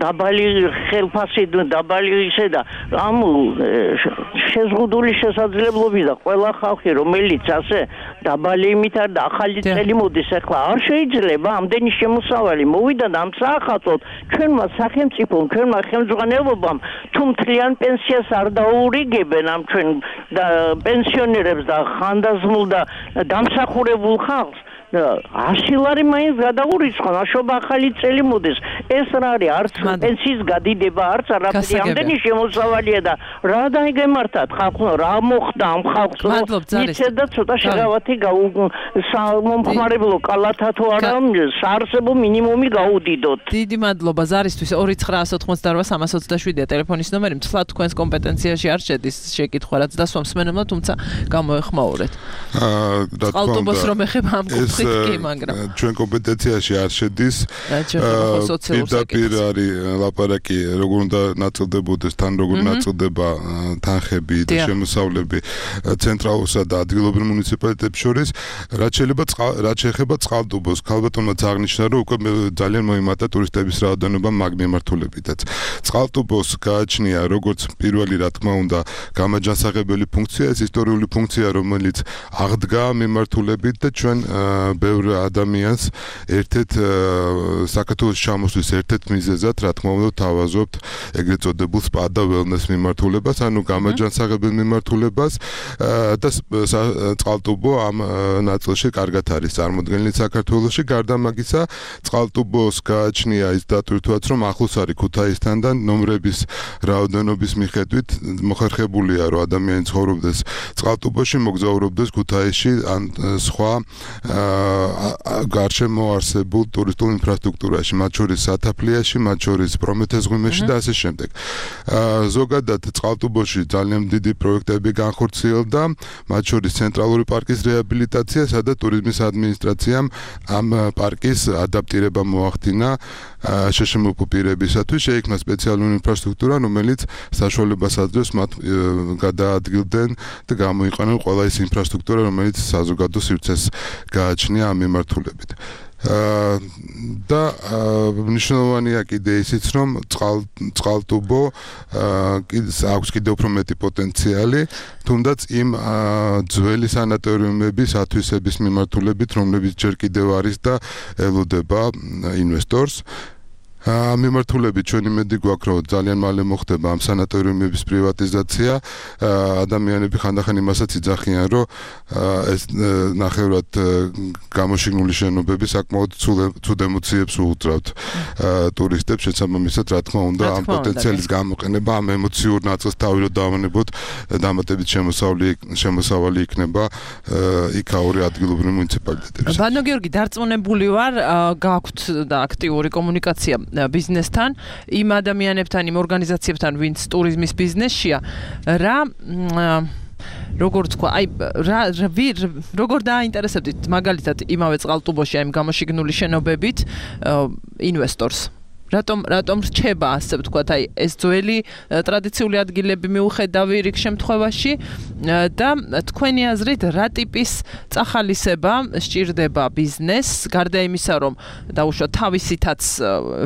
დაბალი ხელფასი, დაბალი ისე და ამ შეზღუდული შესაძლებლობები და ყველა ხალხი რომელიც ასე დაბალი იმით არ და ახალი წელი მოდის, ახლა არ შეიძლება ამდენი შემოსავალი მოვიდა და ამ საახალწლოდ ჩვენმა სახელმწიფომ, ჩვენმა ხელმძღვანელობამ თუ მთლიან პენსიას არ დაურიგებენ ამ ჩვენ და პენსიონერებს და ხანდაზმულ და დამსახურებულ ხალხს ასი ლარი მაინც გადაურიცხონ, აშობა ახალი წელი მოდის. ეს რა არის? არც პენსიის გადიდება, არც არაფერი. ამდენი შემოსავალია და რა დაიგემართათ ხალხო, რა მოხდა ამ ხალხს? იცით და ცოტა შეღავათი მომხმარებლო კალათა თუ არა, საარსებო მინიმუმი გაუდიდოთ. დიდი მადლობა ზარისთვის. ორი ცხრა ოთხმოცდაოთხ სამას ოცდაშვიდია ტელეფონის ნომერი. მთლად თქვენს კომპეტენციაში არ შედის შეკითხვა, რაც დასვამს მსმენელმა, თუმცა გამოეხმაურეთ. აა, რა თქმა უნდა. წყალტუბოს რომ ეხება ამ ჩვენ კომპეტენციაში არ შედის. პირდაპირ არის ლაპარაკი, როგორ უნდა ნაწილდებოდეს, თან როგორ ნაწილდება თანხები და შემოსავლები ცენტრალურსა და ადგილობრივ მუნიციპალიტეტებს შორის, რაც შეიძლება რაც შეეხება წყალტუბოს. ქალბატონმაც აღნიშნა, რომ უკვე ძალიან მოიმატა ტურისტების რაოდენობა მაგ მიმართულებითაც. წყალტუბოს გააჩნია როგორც პირველი რა თქმა უნდა გამაჯანსაღებელი ფუნქცია, ეს ისტორიული ფუნქცია, რომელიც აღდგა მიმართულებით და ჩვენ ბევრ ადამიანს ერთ-ერთ საქართველოს ჩამოსვლის ერთ-ერთ მიზეზად რა თქმა უნდა თავაზობთ ეგრეთ წოდებულ სპა და ველნეს მიმართულებას, ანუ გამაჯანსაღებელ მიმართულებას და წყალტუბო ამ ნაწილში კარგად არის წარმოდგენილი საქართველოში. გარდა მაგისა, წყალტუბოს გააჩნია ის დატვირთვაც, რომ ახლოს არის ქუთაისთან და ნომრების რაოდენობის მიხედვით მოხერხებულია, რომ ადამიანი ცხოვრობდეს წყალტუბოში, მოგზაურობდეს ქუთაისში ან სხვა გარშემო არსებულ ტურისტულ ინფრასტრუქტურაში, მათ შორის სათაფლიაში, მათ შორის პრომეთეს ღვინეში და ასე შემდეგ. ზოგადად წყალტუბოში ძალიან დიდი პროექტები განხორციელდა, მათ შორის ცენტრალური პარკის რეაბილიტაცია, სადაც ტურიზმის ადმინისტრაციამ ამ პარკის ადაპტირება მოახდინა შეშემოწმებულ პირებისათვის, შეიქმნა სპეციალური ინფრასტრუქტურა, რომელიც საშუალებას აძლევს მათ გადაადგილდნენ და გამოიყენონ ყველა ის ინფრასტრუქტურა, რომელიც საზოგადო სივრცეს გააჩნია ამ მიმართულებით. და მნიშვნელოვანია კიდე ისიც, რომ წყალტუბო აქვს კიდევ უფრო მეტი პოტენციალი, თუნდაც იმ ძველი სანატორიუმების ათვისების მიმართულებით, რომლებიც ჯერ კიდევ არის და ელოდება ინვესტორს. მიმართულებით ჩვენ იმედი გვაქვს, რომ ძალიან მალე მოხდება ამ სანატორიუმების პრივატიზაცია. ადამიანები ხანდახან იმასაც იძახიან, რომ ეს ნახევრად გამოშიგნული შენობები საკმაოდ ცუდ ემოციებს უუძრავთ ტურისტებს, შესაბამისად, რა თქმა უნდა, ამ პოტენციალის გამოყენება, ამ ემოციურ ნაწილს თავი დავანებოთ, დამატებით შემოსავალი იქნება იქაური ადგილობრივ მუნიციპალიტეტებში. ბანო გიორგი, დარწმუნებული ვარ, გაქვთ და აქტიური კომუნიკაცია ბიზნესთან, იმ ადამიანებთან, იმ ორგანიზაციებთან, ვინც ტურიზმის ბიზნესშია, რა როგორ თქვა, აი რა როგორ დააინტერესებდით მაგალითად იმავე წყალტუბოში ამ გამოშიგნული შენობებით ინვესტორს? რატომ რატომ რჩება ასე ვთქვათ, აი ეს ძველი ტრადიციული ადგილები მიუხედავი რიგ შემთხვევაში და თქვენი აზრით რა ტიპის წახალისება სჭირდება ბიზნესს, გარდა იმისა, რომ დაუშვათ თავისითაც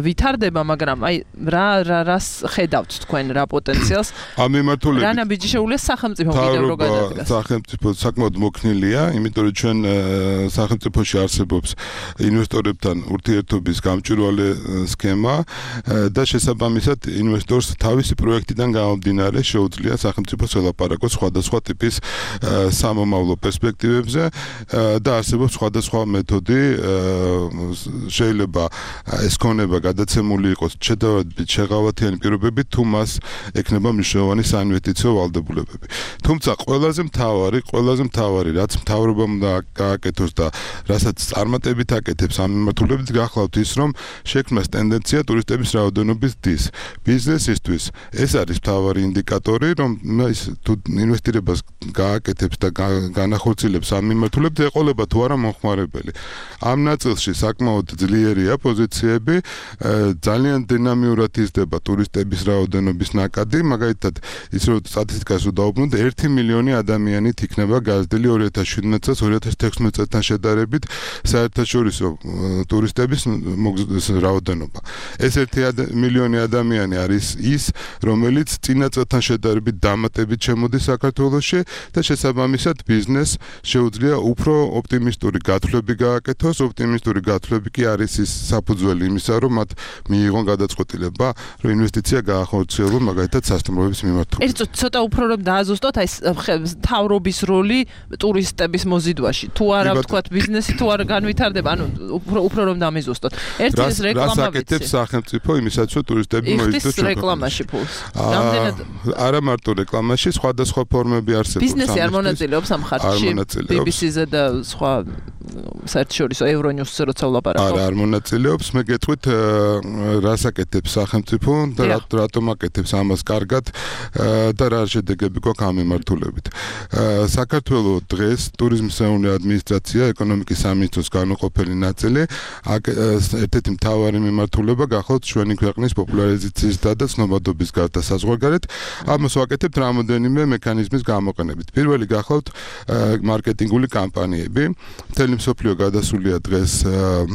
ვითარდება, მაგრამ აი რა რას ხედავთ თქვენ, რა პოტენციალს? ამ მიმართულებით რა ნაბიჯი შეუძლია სახელმწიფო კიდევ რო გადადგას? სახელმწიფო საკმაოდ მოქნილია, იმიტომ რომ ჩვენ სახელმწიფოში არსებობს ინვესტორებთან ურთიერთობის გამჭვირვალე სქემა და შესაბამისად ინვესტორს თავისი პროექტიდან გამომდინარე შეუძლია სახელმწიფოს ელაპარაკოს სხვადასხვა ტიპის სამომავლო პერსპექტივებზე და არსებობს სხვადასხვა მეთოდი, შეიძლება ეს ქონება გადაცემული იყოს შედარებით შეღავათიანი პირობებით, თუ მას ექნება მნიშვნელოვანი საინვესტიციო ვალდებულებები. თუმცა ყველაზე მთავარი, ყველაზე მთავარი, რაც მთავრობამ უნდა გააკეთოს და რასაც წარმატებით აკეთებს ამ მიმართულებით, გახლავთ ის, რომ შექმნას ტენდენცია ტურისტების რაოდენობის დის. ბიზნესისთვის ეს არის მთავარი ინდიკატორი, რომ ის თუ ინვესტირებას გააკეთებს და განახორციელებს ამ მიმართულებით, ეყოლება თუ არა მომხმარებელი. ამ ნაწილში საკმაოდ ძლიერია პოზიციები, ძალიან დინამიურად იზრდება ტურისტების რაოდენობის ნაკადი, მაგალითად, ის რომ სტატისტიკას ვდაუბრუნდ, ერთი მილიონი ადამიანით იქნება გაზრდილი ორი ათას შვიდმეტ წელს ორი ათას თექვსმეტ წელთან შედარებით საერთაშორისო ტურისტების რაოდენობა. ეს ერთი მილიონი ადამიანი არის ის, რომელიც წინა წელთან შედარებით დამატებით შემოდის საქართველოში და შესაბამისად ბიზნესს შეუძლია უფრო ოპტიმისტური გათვლები გააკეთოს. ოპტიმისტური გათვლები კი არის ის საფუძველი იმისა, რომ მათ მიიღონ გადაწყვეტილება, რომ ინვესტიცია გაახორციელონ მაგალითად სასტუმროების მიმართულებით. ერთ ცოტა უფრო რომ დააზუსტოთ, აი თავრობის როლი ტურისტების მოზიდვაში. თუ არა ვთქვათ ბიზნესი თუ არა განვითარდება, ანუ უფრო უფრო რომ დამიზუსტოთ. ერთი ეს რეკლამა აკეთებს სახელმწიფო იმისაც, რომ ტურისტები მოიძინოს რეკლამაში ფულს. რამდენად არა მარტო რეკლამაში, სხვადასხვა ფორმები არსებობს. ბიზნესი არ მონაწილეობს ამ ხარჯში. ბი ბი სი-ზე და სხვა საერთაშორისო ევრონიუსზე როცა ვლაპარაკობ. არა, არ მონაწილეობს, მე გეტყვით რას აკეთებს სახელმწიფო და რატომ აკეთებს ამას კარგად და რა შედეგები გვაქვს ამ მიმართულებით. საქართველოს დღეს ტურიზმის ადმინისტრაცია ეკონომიკის სამინისტროს განუყოფელი ნაწილი ერთ-ერთი მთავარი მიმართულება გახავთ ჩვენი ქვეყნის პოპულარიზაციის და ცნობადობის გარდა საზღვარგარეთ. ამას ვაკეთებთ რამოდენიმე მექანიზმის გამოყენებით. პირველი გახავთ მარკეტინგული კამპანიები. მთელი მსოფლიო გადასულია დღეს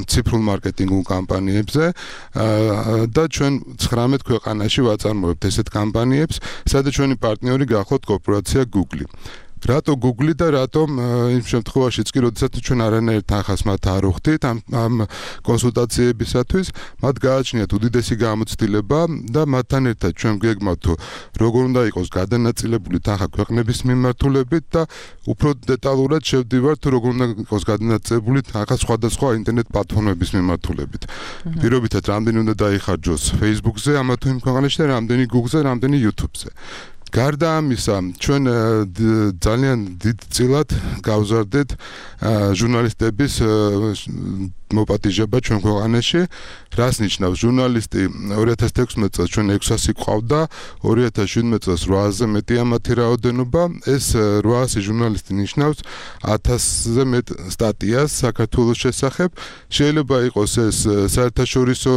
ციფრულ მარკეტინგულ კამპანიებზე და ჩვენ ცხრამეტ ქვეყანაში ვაწარმოებთ ესეთ კამპანიებს, სადაც ჩვენი პარტნიორი გახავთ კორპორაცია Google. რატო Google და რატომ იმ შემთხვევაშიც კი როდესაც ჩვენ არანაირ თანხას მათ არ ვხდით ამ ამ კონსულტაციებისათვის, მათ გააჩნიათ უდიდესი გამოცდილება და მათთან ერთად ჩვენ გეგმავთ თუ როგორ უნდა იყოს გადანაწილებული თანხა ქვეყნების მიმართულებით და უფრო დეტალურად შევდივართ თუ როგორ უნდა იყოს გადანაწილებული თანხა სხვადასხვა ინტერნეტ პლატფორმების მიმართულებით. პირობითად რამდენი უნდა დაიხარჯოს Facebook-ზე, ამა თუ იმ ქვეყანაში და რამდენი Google-ზე, რამდენი YouTube-ზე. გარდა ამისა, ჩვენ ძალიან დიდ წილად გავზარდეთ ჟურნალისტების მოპატიჟება ჩვენ ქვეყანაში. რას ნიშნავს? ჟურნალისტი ორი ათას თექვსმეტ წელს ჩვენ ექვსასი ყავდა, ორი ათას შვიდმეტ წელს რვაასზე მეტია მათი რაოდენობა. ეს რვაასი ჟურნალისტი ნიშნავს ათასზე მეტ სტატიას საქართველოს შესახებ. შეიძლება იყოს ეს საერთაშორისო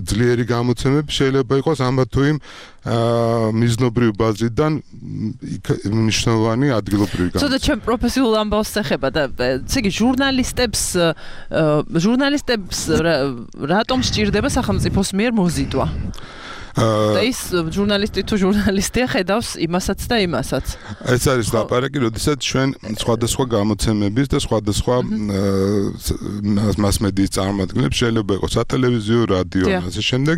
ძლიერი გამოცემები, შეიძლება იყოს ამა თუ იმ მიზნობრივ ბაზიდან მნიშვნელოვანი ადგილობრივი გამოცემა. ცოტა ჩვენ პროფესიულ ამბავს ეხება და ესე იგი ჟურნალისტებს ჟურნალისტებს რატომ სჭირდება სახელმწიფოს მიერ მოზიდვა? და ის ჟურნალისტი თუ ჟურნალისტია ხედავს იმასაც და იმასაც. ეს არის ლაპარაკი, როდესაც ჩვენ სხვადასხვა გამოცემების და სხვადასხვა მასმედიის წარმომადგენლებს შეიძლება იყოს სატელევიზიო, რადიო და ასე შემდეგ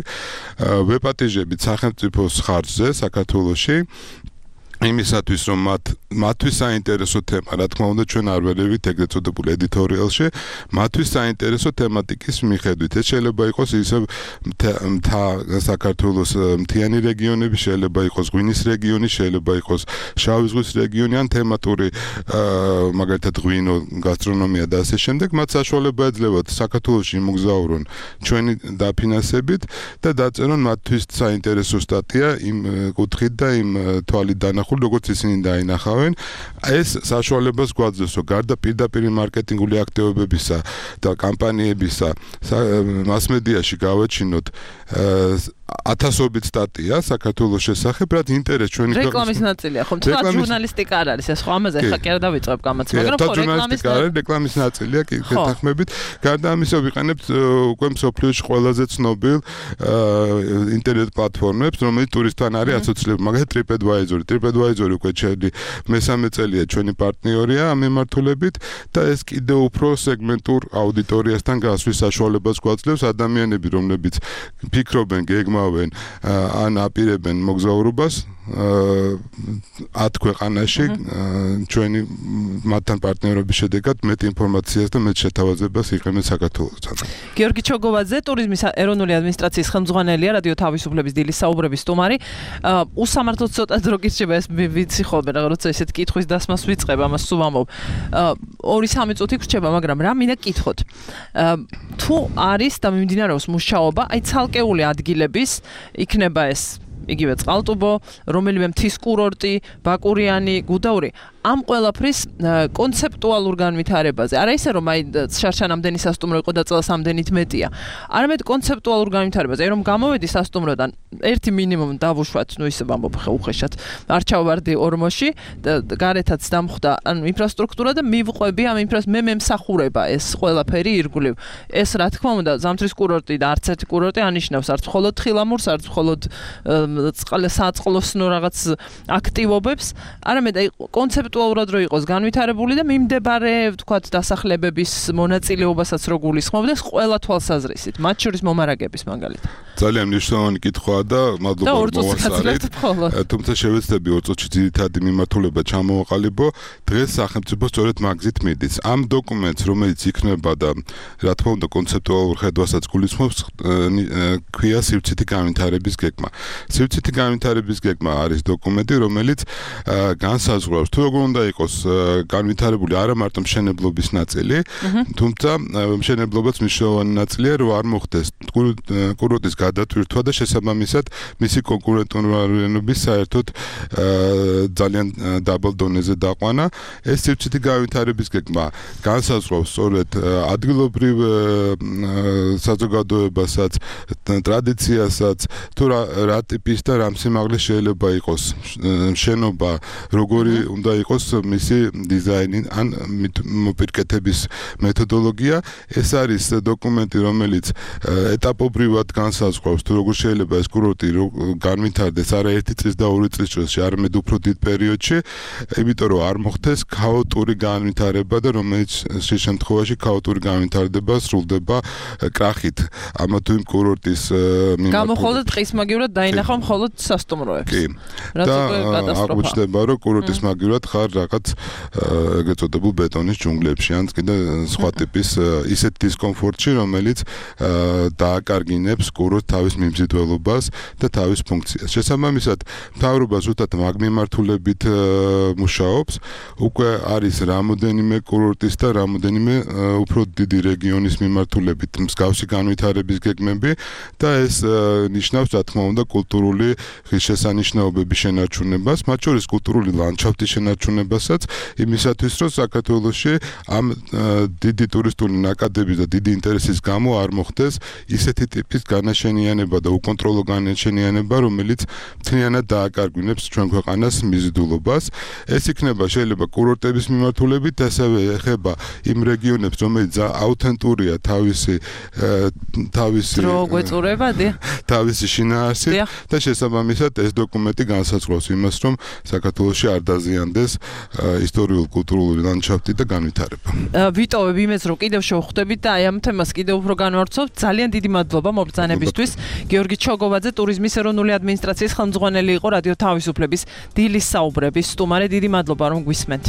ვეპატიჟებით სახელმწიფოს ხარჯზე საქართველოში. იმისათვის რომ მათ მათთვის საინტერესო თემა, რა თქმა უნდა, ჩვენ არ ვერევით ეგრეთ წოდებული ედიტორიალში, მათთვის საინტერესო თემატიკის მიხედვით. ეს შეიძლება იყოს ისე მთა საქართველოს მთიანი რეგიონები, შეიძლება იყოს ღვინის რეგიონი, შეიძლება იყოს შავი ზღვის რეგიონი ან თემატური მაგალითად ღვინო, გასტრონომია და ასე შემდეგ. მათ საშუალება ეძლევათ საქართველოში იმოგზაურონ ჩვენი დაფინანსებით და დაწერონ მათთვის საინტერესო სტატია იმ კუთხით და იმ თვალით დანახულებით, როგორც ისინი დაინახავენ. ეს საშუალებას გვაძლევს, რომ გარდა პირდაპირ მარკეტინგული აქტივობებისა და კამპანიებისა, მასმედიაში გავაჩინოთ ათასობით სტატია საქართველოს შესახებ, რაც ინტერესს ჩვენი ქვეყნის რეკლამის ნაწილია, ხო? თუმცა ჟურნალისტიკა არ არის ეს, ხო? ამაზე ხა კი არა დავიწყებ გამოცემა, მაგრამ ხო რეკლამის რეკლამის ნაწილია, კი გეთანხმებით. გარდა ამისა ვიყენებთ უკვე მსოფლიოში ყველაზე ცნობილ ინტერნეტ პლატფორმებს, რომელიც ტურისტთან არის ასოცირებული, მაგალითად TripAdvisor. TripAdvisor უკვე ჩვენი მესამე წელია ჩვენი პარტნიორია ამ მიმართულებით და ეს კიდევ უფრო სეგმენტურ აუდიტორიასთან გასვლის საშუალებას გვაძლევს. ადამიანები, რომლებიც ფიქრობენ, გეგმავენ ან აპირებენ მოგზაურობას ათ ქვეყანაში ჩვენი მათთან პარტნიორობის შედეგად მეტ ინფორმაციას და მეტ შეთავაზებას იყენებს საქართველოსთან. გიორგი ჩოგოვაძე, ტურიზმის ეროვნული ადმინისტრაციის ხელმძღვანელია, რადიო თავისუფლების დილის საუბრების სტუმარი. უსამართლოდ ცოტა დრო გირჩება ეს ვიცი ხოლმე, რა როცა ესეთ კითხვის დასმას ვიწყებ, ამას სულ ვამბობ. ორი სამი წუთი გრჩება, მაგრამ რა მინდა გითხოთ. თუ არის და მიმდინარეობს მუშაობა, აი ცალკეული ადგილების იქნება ეს იგივე წყალტუბო, რომელიმე მთის კურორტი, ბაკურიანი, გუდაური, ამ ყველაფრის კონცეპტუალურ განვითარებაზე. არა ისე რომ აი შარშანამდენი სასტუმრო იყო და წელს ამდენით მეტია. არამედ კონცეპტუალურ განვითარებაზე. აი რომ გამოვედი სასტუმროდან, ერთი მინიმუმ დავუშვათ, ნუ ისე ვამბობ უხეშად. არ ჩავვარდი ორმოში და გარეთაც დამხვდა ანუ ინფრასტრუქტურა და მივყვები ამ ინფრას მე მემსახურება ეს ყველაფერი ირგვლივ. ეს რა თქმა უნდა ზამთრის კურორტი და არც ერთი კურორტი ანიშნავს, არც მხოლოდ თხილამურს, არც მხოლოდ საწყლოსნო რაღაც აქტივობებს, არამედ აი კონცეპტუალურად რო იყოს განვითარებული და მიმდებარე ვთქვათ დასახლებების მონაწილეობასაც რო გულისხმობდეს ყველა თვალსაზრისით, მათ შორის მომარაგების მაგალითად. ძალიან მნიშვნელოვანი კითხვაა და მადლობა მოვასწარეთ. თუმცა შევეცდები ორ წუთში ძირითადი მიმართულება ჩამოვაყალიბო. დღეს სახელმწიფო სწორედ მაგზით მიდის. ამ დოკუმენტს, რომელიც იქნება და რა თქმა უნდა კონცეპტუალურ ხედვასაც გულისხმობს, ქვია სივრცითი განვითარების გეგმა. სივრცითი განვითარების გეგმა არის დოკუმენტი, რომელიც განსაზღვრავს თუ როგორ უკვე უნდა იყოს განვითარებული არა მარტო მშენებლობის ნაწილი, თუმცა მშენებლობაც მნიშვნელოვანი ნაწილია, რომ არ მოხდეს კურორტის გადატვირთვა და შესაბამისად მისი კონკურენტულობის საერთოდ ძალიან დაბალ დონეზე დაყვანა. ეს სივრცითი განვითარების გეგმა განსაზღვრავს სწორედ ადგილობრივ საზოგადოებასაც, ტრადიციასაც, თუ რა ტიპის და რა სიმაღლის შეიძლება იყოს შენობა, როგორი უნდა იყოს მისი დიზაინი ან მოპირკეთების მეთოდოლოგია. ეს არის დოკუმენტი, რომელიც ეტაპობრივად განსაზღვრავს, თუ როგორ შეიძლება ეს კურორტი განვითარდეს არა ერთი წლის და ორი წლის წრეში, არამედ უფრო დიდ პერიოდში, იმიტომ რომ არ მოხდეს ქაოტური განვითარება და რომელიც შემთხვევაში ქაოტური განვითარება სრულდება კრახით. ამა თუ იმ კურორტის მიმართულებით. გამოხოლოდ ტყის მაგივრად დაინახავ მხოლოდ სასტუმროებს. კი. და აღმოჩნდება, რომ კურორტის მაგივრად ხარ რაღაც ეგრეთ წოდებულ ბეტონის ჯუნგლებში, ან კიდე სხვა ტიპის ისეთ დისკომფორტში, რომელიც დააკარგინებს კურორტ თავის მიმზიდველობას და თავის ფუნქციას. შესაბამისად, მთავრობა ზუსტად მაგ მიმართულებით მუშაობს. უკვე არის რამოდენიმე კურორტის და რამოდენიმე უფრო დიდი რეგიონის მიმართულებით მსგავსი განვითარების გეგმები და ეს ნიშნავს, რა თქმა უნდა, კულტურული ღირსშესანიშნაობების შენარჩუნებას, მათ შორის კულტურული ლანდშაფტის შენარჩუნებასაც, იმისათვის, რომ საქართველოში ამ დიდი ტურისტული ნაკადების და დიდი ინტერესის გამო არ მოხდეს ისეთი ტიპის განაშენიანება და უკონტროლო განაშენიანება, რომელიც მთლიანად დააკარგვინებს ჩვენ ქვეყანას მიზიდულობას. ეს იქნება შეიძლება კურორტების მიმართულებით, ასევე ეხება იმ რეგიონებს, რომელიც აუთენტურია თავისი თავისი დრო გვეწურებადი? თავისი შინაარსით და შესაბამისად ეს დოკუმენტი განსაზღვრავს იმას, რომ საქართველოში არ დაზიანდეს ისტორიულ-კულტურული ლანდშაფტი და განვითარება. ვიტოვებ იმას, რომ კიდევ შევხვდებით და აი ამ თემას კიდევ უფრო განვარცხობთ. ძალიან დიდი მადლობა მობრძანებისთვის. გიორგი ჩოგოვაძე, ტურიზმის ეროვნული ადმინისტრაციის ხელმძღვანელი იყო რადიო თავისუფლების დილის საუბრების სტუმარი. დიდი მადლობა რომ გვისმენთ.